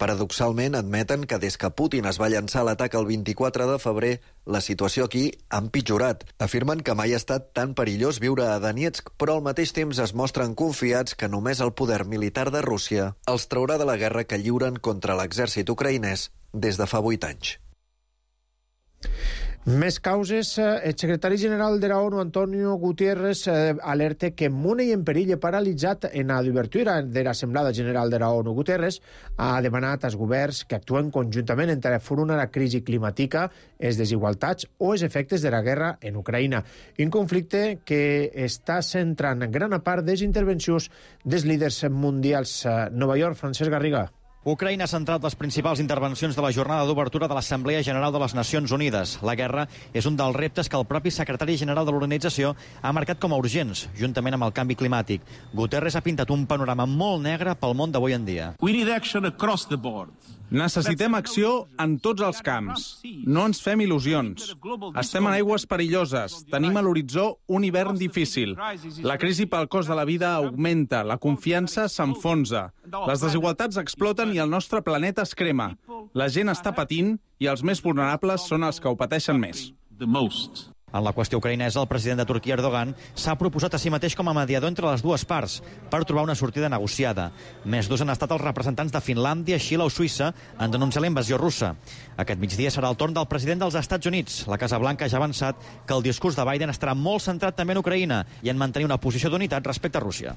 Paradoxalment, admeten que des que Putin es va llançar l'atac el vint-i-quatre de febrer, la situació aquí ha empitjorat. Afirmen que mai ha estat tan perillós viure a Donetsk, però al mateix temps es mostren confiats que només el poder militar de Rússia els traurà de la guerra que lliuren contra l'exèrcit ucraïnès des de fa vuit anys. Més causes. El secretari general de la ONU, Antonio Guterres, alerta que Mune i en perill paralitzat en l'obertura de l'Assemblada General de la ONU. Guterres ha demanat als governs que actuen conjuntament entre enfrontar la crisi climàtica, les desigualtats o els efectes de la guerra en Ucraïna. Un conflicte que està centrant gran part de les intervencions dels líders mundials. Nova York, Francesc Garriga. Ucraïna ha centrat les principals intervencions de la jornada d'obertura de l'Assemblea General de les Nacions Unides. La guerra és un dels reptes que el propi secretari general de l'organització ha marcat com a urgents, juntament amb el canvi climàtic. Guterres ha pintat un panorama molt negre pel món d'avui en dia. Necessitem acció en tots els camps. No ens fem il·lusions. Estem en aigües perilloses. Tenim a l'horitzó un hivern difícil. La crisi pel cost de la vida augmenta. La confiança s'enfonsa. Les desigualtats exploten i el nostre planeta es crema. La gent està patint i els més vulnerables són els que ho pateixen més. En la qüestió ucraïnesa, el president de Turquia, Erdogan, s'ha proposat a si mateix com a mediador entre les dues parts per trobar una sortida negociada. Més dos han estat els representants de Finlàndia, Xile o Suïssa en denunciar la invasió russa. Aquest migdia serà el torn del president dels Estats Units. La Casa Blanca ja ha avançat que el discurs de Biden estarà molt centrat també en Ucraïna i en mantenir una posició d'unitat respecte a Rússia.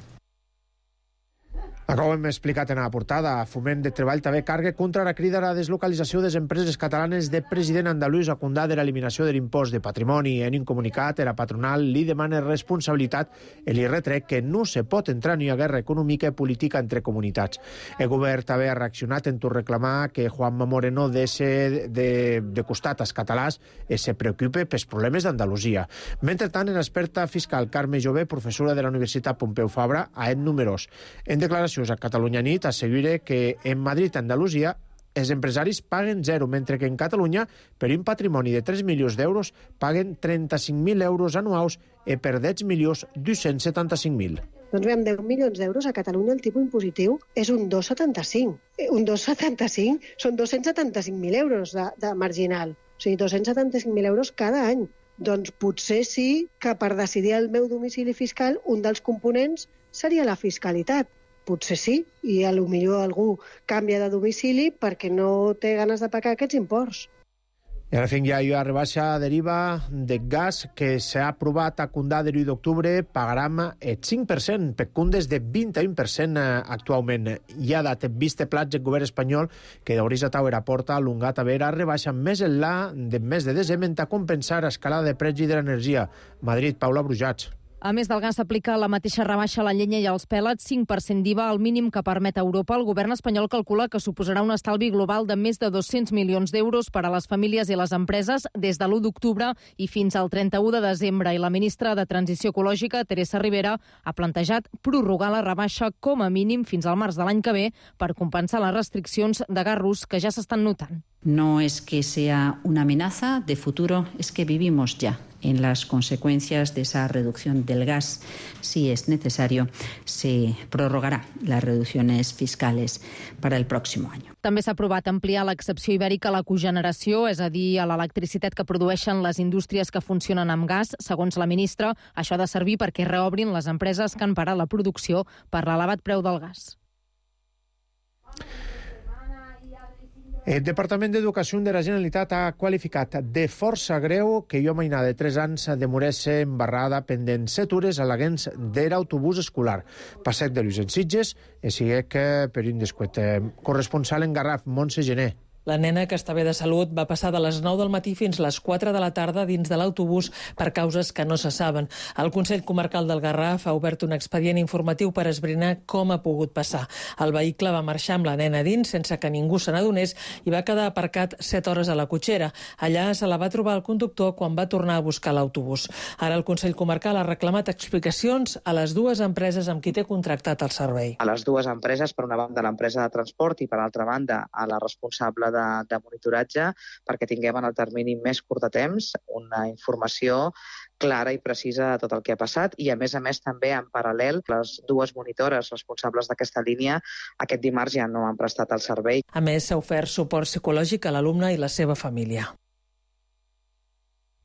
Com hem explicat en la portada, Foment de Treball també carga contra la crida a la deslocalització de les empreses catalanes de president andalús a condar de l'eliminació de l'impost de patrimoni. En un comunicat, la patronal li demana responsabilitat i li retrec que no se pot entrar ni a guerra econòmica i política entre comunitats. El govern també ha reaccionat en tot reclamar que Juanma Moreno deixi de, de costat als catalans i se preocupe pels problemes d'Andalusia. Mentrestant, l'experta fiscal Carme Jové, professora de la Universitat Pompeu Fabra, a En Números. En declaració a Catalunya Nit assegura que en Madrid i Andalusia els empresaris paguen zero, mentre que en Catalunya, per un patrimoni de tres milions d'euros, paguen trenta-cinc mil euros anuals i per deu milions dos-cents setanta-cinc mil. Doncs bé, amb deu milions d'euros a Catalunya el tipus impositiu és un dos coma setanta-cinc. Un dos coma setanta-cinc són dos-cents setanta-cinc mil euros de, de marginal. O sigui, dos-cents setanta-cinc mil euros cada any. Doncs potser sí que per decidir el meu domicili fiscal un dels components seria la fiscalitat. Potser sí, i a lo millor algú canvia de domicili perquè no té ganes de pagar aquests imports. I ara fins ja hi ha rebaixa deriva de gas que s'ha aprovat a Condà de l'u d'octubre, pagarem el cinc per cent, per cundes de vint-i-un per cent actualment. Hi ha dat vist plats el govern espanyol que d'Orisa Tower aporta l'ungat a veure rebaixa més enllà de mes de desembre a compensar escalada de pregi de l'energia. Madrid, Paula Brujats. A més del gas, s'aplica la mateixa rebaixa a la llenya i als pèlets, cinc per cent d'I V A, el mínim que permet Europa. El govern espanyol calcula que suposarà un estalvi global de més de dos-cents milions d'euros per a les famílies i les empreses des de l'u d'octubre i fins al trenta-u de desembre. I la ministra de Transició Ecològica, Teresa Rivera, ha plantejat prorrogar la rebaixa com a mínim fins al març de l'any que ve per compensar les restriccions de gas rus que ja s'estan notant. No es que sea una amenaza de futuro, es que vivimos ya en las consecuencias de esa reducción del gas. Si es necesario, se prorrogará las reducciones fiscales para el próximo año. També s'ha aprovat ampliar l'excepció ibèrica a la cogeneració, és a dir, a l'electricitat que produeixen les indústries que funcionen amb gas. Segons la ministra, això ha de servir perquè reobrin les empreses que han parat la producció per l'elevat preu del gas. El Departament d'Educació de la Generalitat ha qualificat de força greu que jo mainà de tres anys demorés-se embarrada pendent set hores a l'aguens de l'autobús escolar. Passet de Lluís en Sitges, i sigue que per un descuet. Corresponsal en Garraf, Montse Gené. La nena, que està bé de salut, va passar de les nou del matí fins les quatre de la tarda dins de l'autobús per causes que no se saben. El Consell Comarcal del Garraf ha obert un expedient informatiu per esbrinar com ha pogut passar. El vehicle va marxar amb la nena dins sense que ningú se n'adonés i va quedar aparcat set hores a la cotxera. Allà se la va trobar el conductor quan va tornar a buscar l'autobús. Ara el Consell Comarcal ha reclamat explicacions a les dues empreses amb qui té contractat el servei. A les dues empreses, per una banda l'empresa de transport i per altra banda a la responsable de, de monitoratge, perquè tinguem en el termini més curt de temps una informació clara i precisa de tot el que ha passat i, a més a més, també en paral·lel, les dues monitores responsables d'aquesta línia aquest dimarts ja no han prestat el servei. A més, s'ha ofert suport psicològic a l'alumne i la seva família.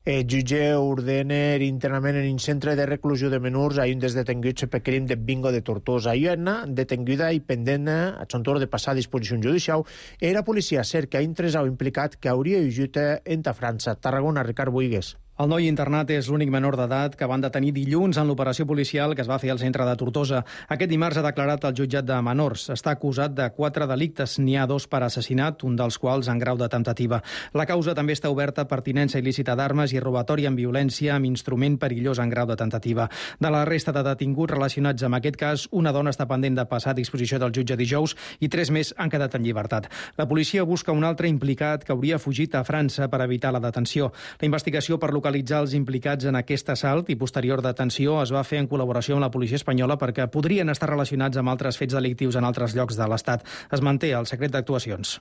El jutge ordena internament en un centre de reclusió de menors a un dels detinguts per crim de bingo de Tortosa. I una detinguda i pendent a son torn de passar a disposició judicial era policia cerca un tresau implicat que hauria fugit entre França. Tarragona, Ricard Boigues. El noi internat és l'únic menor d'edat que van detenir dilluns en l'operació policial que es va fer al centre de Tortosa. Aquest dimarts ha declarat el jutjat de menors. Està acusat de quatre delictes. N'hi ha dos per assassinat, un dels quals en grau de temptativa. La causa també està oberta per tinença il·lícita d'armes i robatori amb violència amb instrument perillós en grau de temptativa. De la resta de detinguts relacionats amb aquest cas, una dona està pendent de passar a disposició del jutge dijous i tres més han quedat en llibertat. La policia busca un altre implicat que hauria fugit a França per evitar la detenció. La investigació per localitzar localitzar els implicats en aquest assalt i posterior detenció es va fer en col·laboració amb la policia espanyola perquè podrien estar relacionats amb altres fets delictius en altres llocs de l'Estat. Es manté el secret d'actuacions.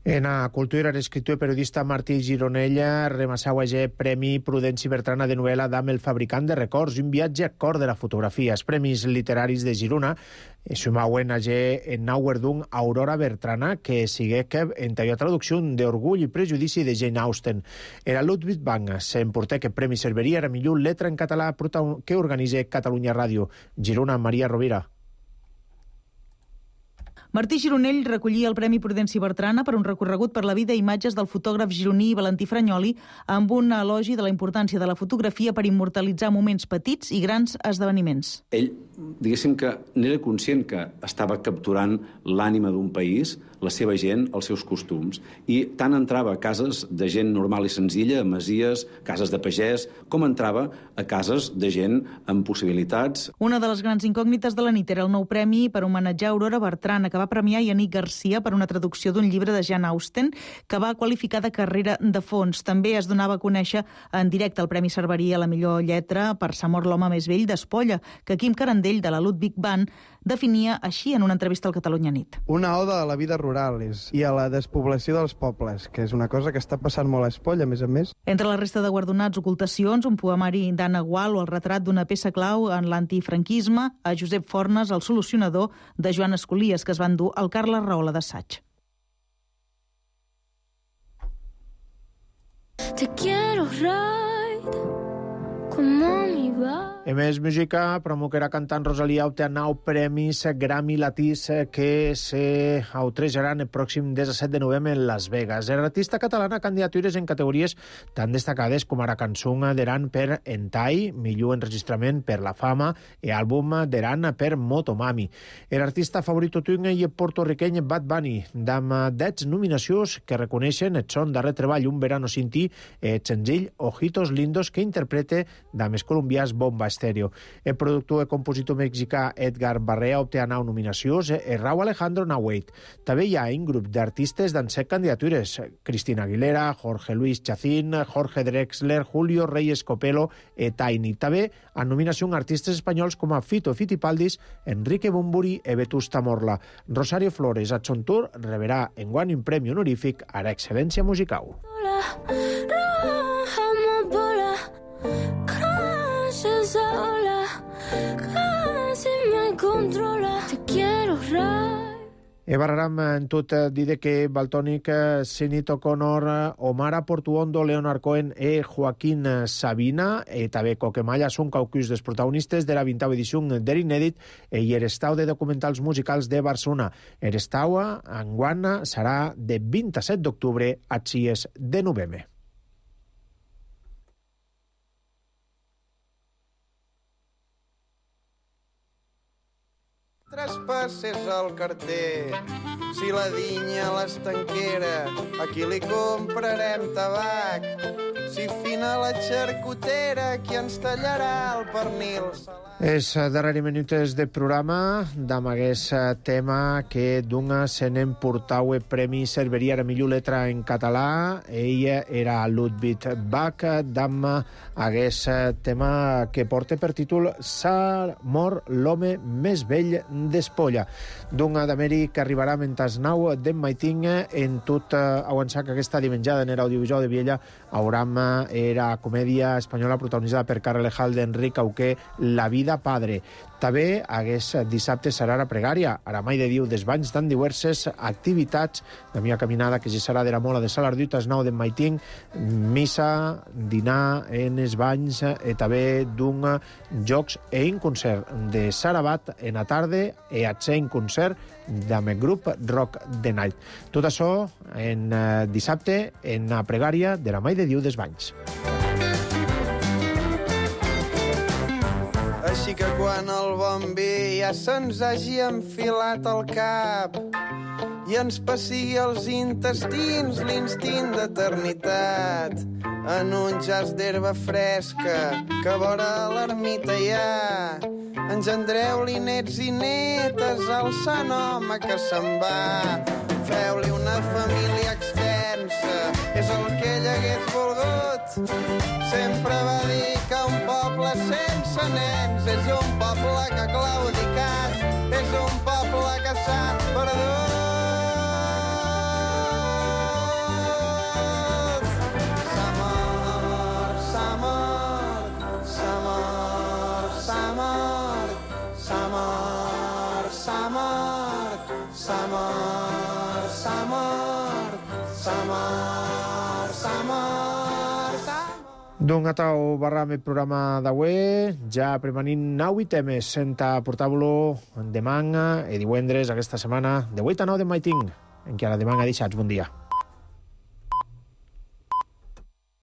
En a cultura, l'escriptor i periodista Martí Gironella remassau a Premi Prudenci Bertrana de novel·la d'Am el fabricant de records, un viatge a cor de la fotografia. Els Premis Literaris de Girona sumauen a en Nauerdung Aurora Bertrana, que sigue que en talla traducció d'Orgull i Prejudici de Jane Austen. Era Ludwig Bang, s'emportà que premi serviria a millor letra en català que organitza Catalunya Ràdio. Girona, Maria Rovira. Martí Gironell recollia el Premi Prudenci Bertrana per un recorregut per la vida i imatges del fotògraf gironí Valentí Fragnoli amb un elogi de la importància de la fotografia per immortalitzar moments petits i grans esdeveniments. Ell, diguéssim que n'era conscient que estava capturant l'ànima d'un país, la seva gent, els seus costums, i tant entrava a cases de gent normal i senzilla, a masies, cases de pagès, com entrava a cases de gent amb possibilitats. Una de les grans incògnites de la nit era el nou premi per homenatjar Aurora Bertrana, que va premiar Yannick Garcia per una traducció d'un llibre de Jane Austen que va qualificar de carrera de fons. També es donava a conèixer en directe el premi serviria a la millor lletra per S'ha mort l'home més vell d'Espolla, que Quim Carandell, de la Ludwig Band, definia així en una entrevista al Catalunya Nit. Una oda a la vida rural i a la despoblació dels pobles, que és una cosa que està passant molt a Espolla, a més a més. Entre la resta de guardonats, ocultacions, un poemari d'Anna Gual o el retrat d'una peça clau en l'antifranquisme, a Josep Fornes, el solucionador, de Joan Escolies, que es van dur al Carles Rahola d'assaig. Te quiero ride como mi va. En més música, promoquerà cantant Rosalía obté nou premis Grammy Latins que se autrejaran el pròxim disset de novembre en Las Vegas. L'artista catalana candidatures en categories tan destacades com ara cançó d'Eran per Entai, millor enregistrament per La Fama i àlbum d'Eran per Motomami. L'artista favorit tuing i porto-riqueny Bad Bunny, amb dez nominacions que reconeixen el son darrer treball Un verano sin ti, el senzill Ojitos Lindos que interprete dames colombians Bomba Estéreo. El productor i compositor mexicà Edgar Barrea obté nou nominacions i Raúl Alejandro Nahueit. També hi ha un grup d'artistes d'en set candidatures: Cristina Aguilera, Jorge Luis Chacín, Jorge Drexler, Julio Reyes Copelo i Tiny. També han nominació artistes espanyols com a Fito Fitipaldis, Enrique Bumburi i Vetusta Morla. Rosario Flores, a son tour, rebrà enguany un premi honorífic a l'excel·lència musical. Sola, casi me controla. Te quiero rai. E barraram en tot dir que Baltònic, Sinead O'Connor, Omar Portuondo, Leonard Cohen e Joaquín Sabina e també Coquemalla són caucus dels protagonistes de la vintava edició d'Erinèdit i l'estau de documentals musicals de Barcelona. L'estau enguany serà de vint-i-set d'octubre a sis de novembre. Traspasses el carter, si la dinya a l'estanquera, aquí li comprarem tabac. Si fina la xarcutera, qui ens tallarà el pernil? Els darrers minuts de programa d'am aquest tema que d'una se n'emportau el premi serviria a millor letra en català. Ella era Ludwig Bach d'am aquest tema que porta per títol S'ha mort l'home més vell d'Espolla. D'una d'Amèric que arribarà mentre nou d'en Maiting en tot avançar que aquesta dimenjada en l'audiovisual de Viella hauram era comèdia espanyola protagonitzada per Carrelejal d'Enric Auqué, La vida padre. També aquest dissabte serà la pregària, ara mai de Diu des banys d'en diverses activitats, la meva caminada que ja serà de la Mola de Salardut, es nou d'en Maiting, missa, dinar en els banys, i també d'un jocs i un concert de Sarabat en la tarda i a ser un concert amb el grup Rock the Night. Tot això en dissabte en la pregària de la mai de Diu des banys. Així que quan el bon vi ja se'ns hagi enfilat al cap i ens passigui els intestins l'instint d'eternitat, en un jaç d'herba fresca que vora l'ermita hi ha, engendreu-li nets i netes al sant home que se'n va. Feu-li una família extensa, és el que ell hagués volgut. Sempre va dir que un poble sense nens és un poble que ha claudicat, és un poble que s'ha perdut. S'ha mort, s'ha mort, s'ha mort, s'ha mort, s'ha mort, s'ha mort, s'ha mort, s'ha mort, s'ha mort, s'ha mort, s'ha mort. D'un atau barram el programa d'avui, ja premanint nou i temes, senta portar-vos demà e divendres aquesta setmana, de vuit a nou de maiting, en què a la demà deixats. Bon dia.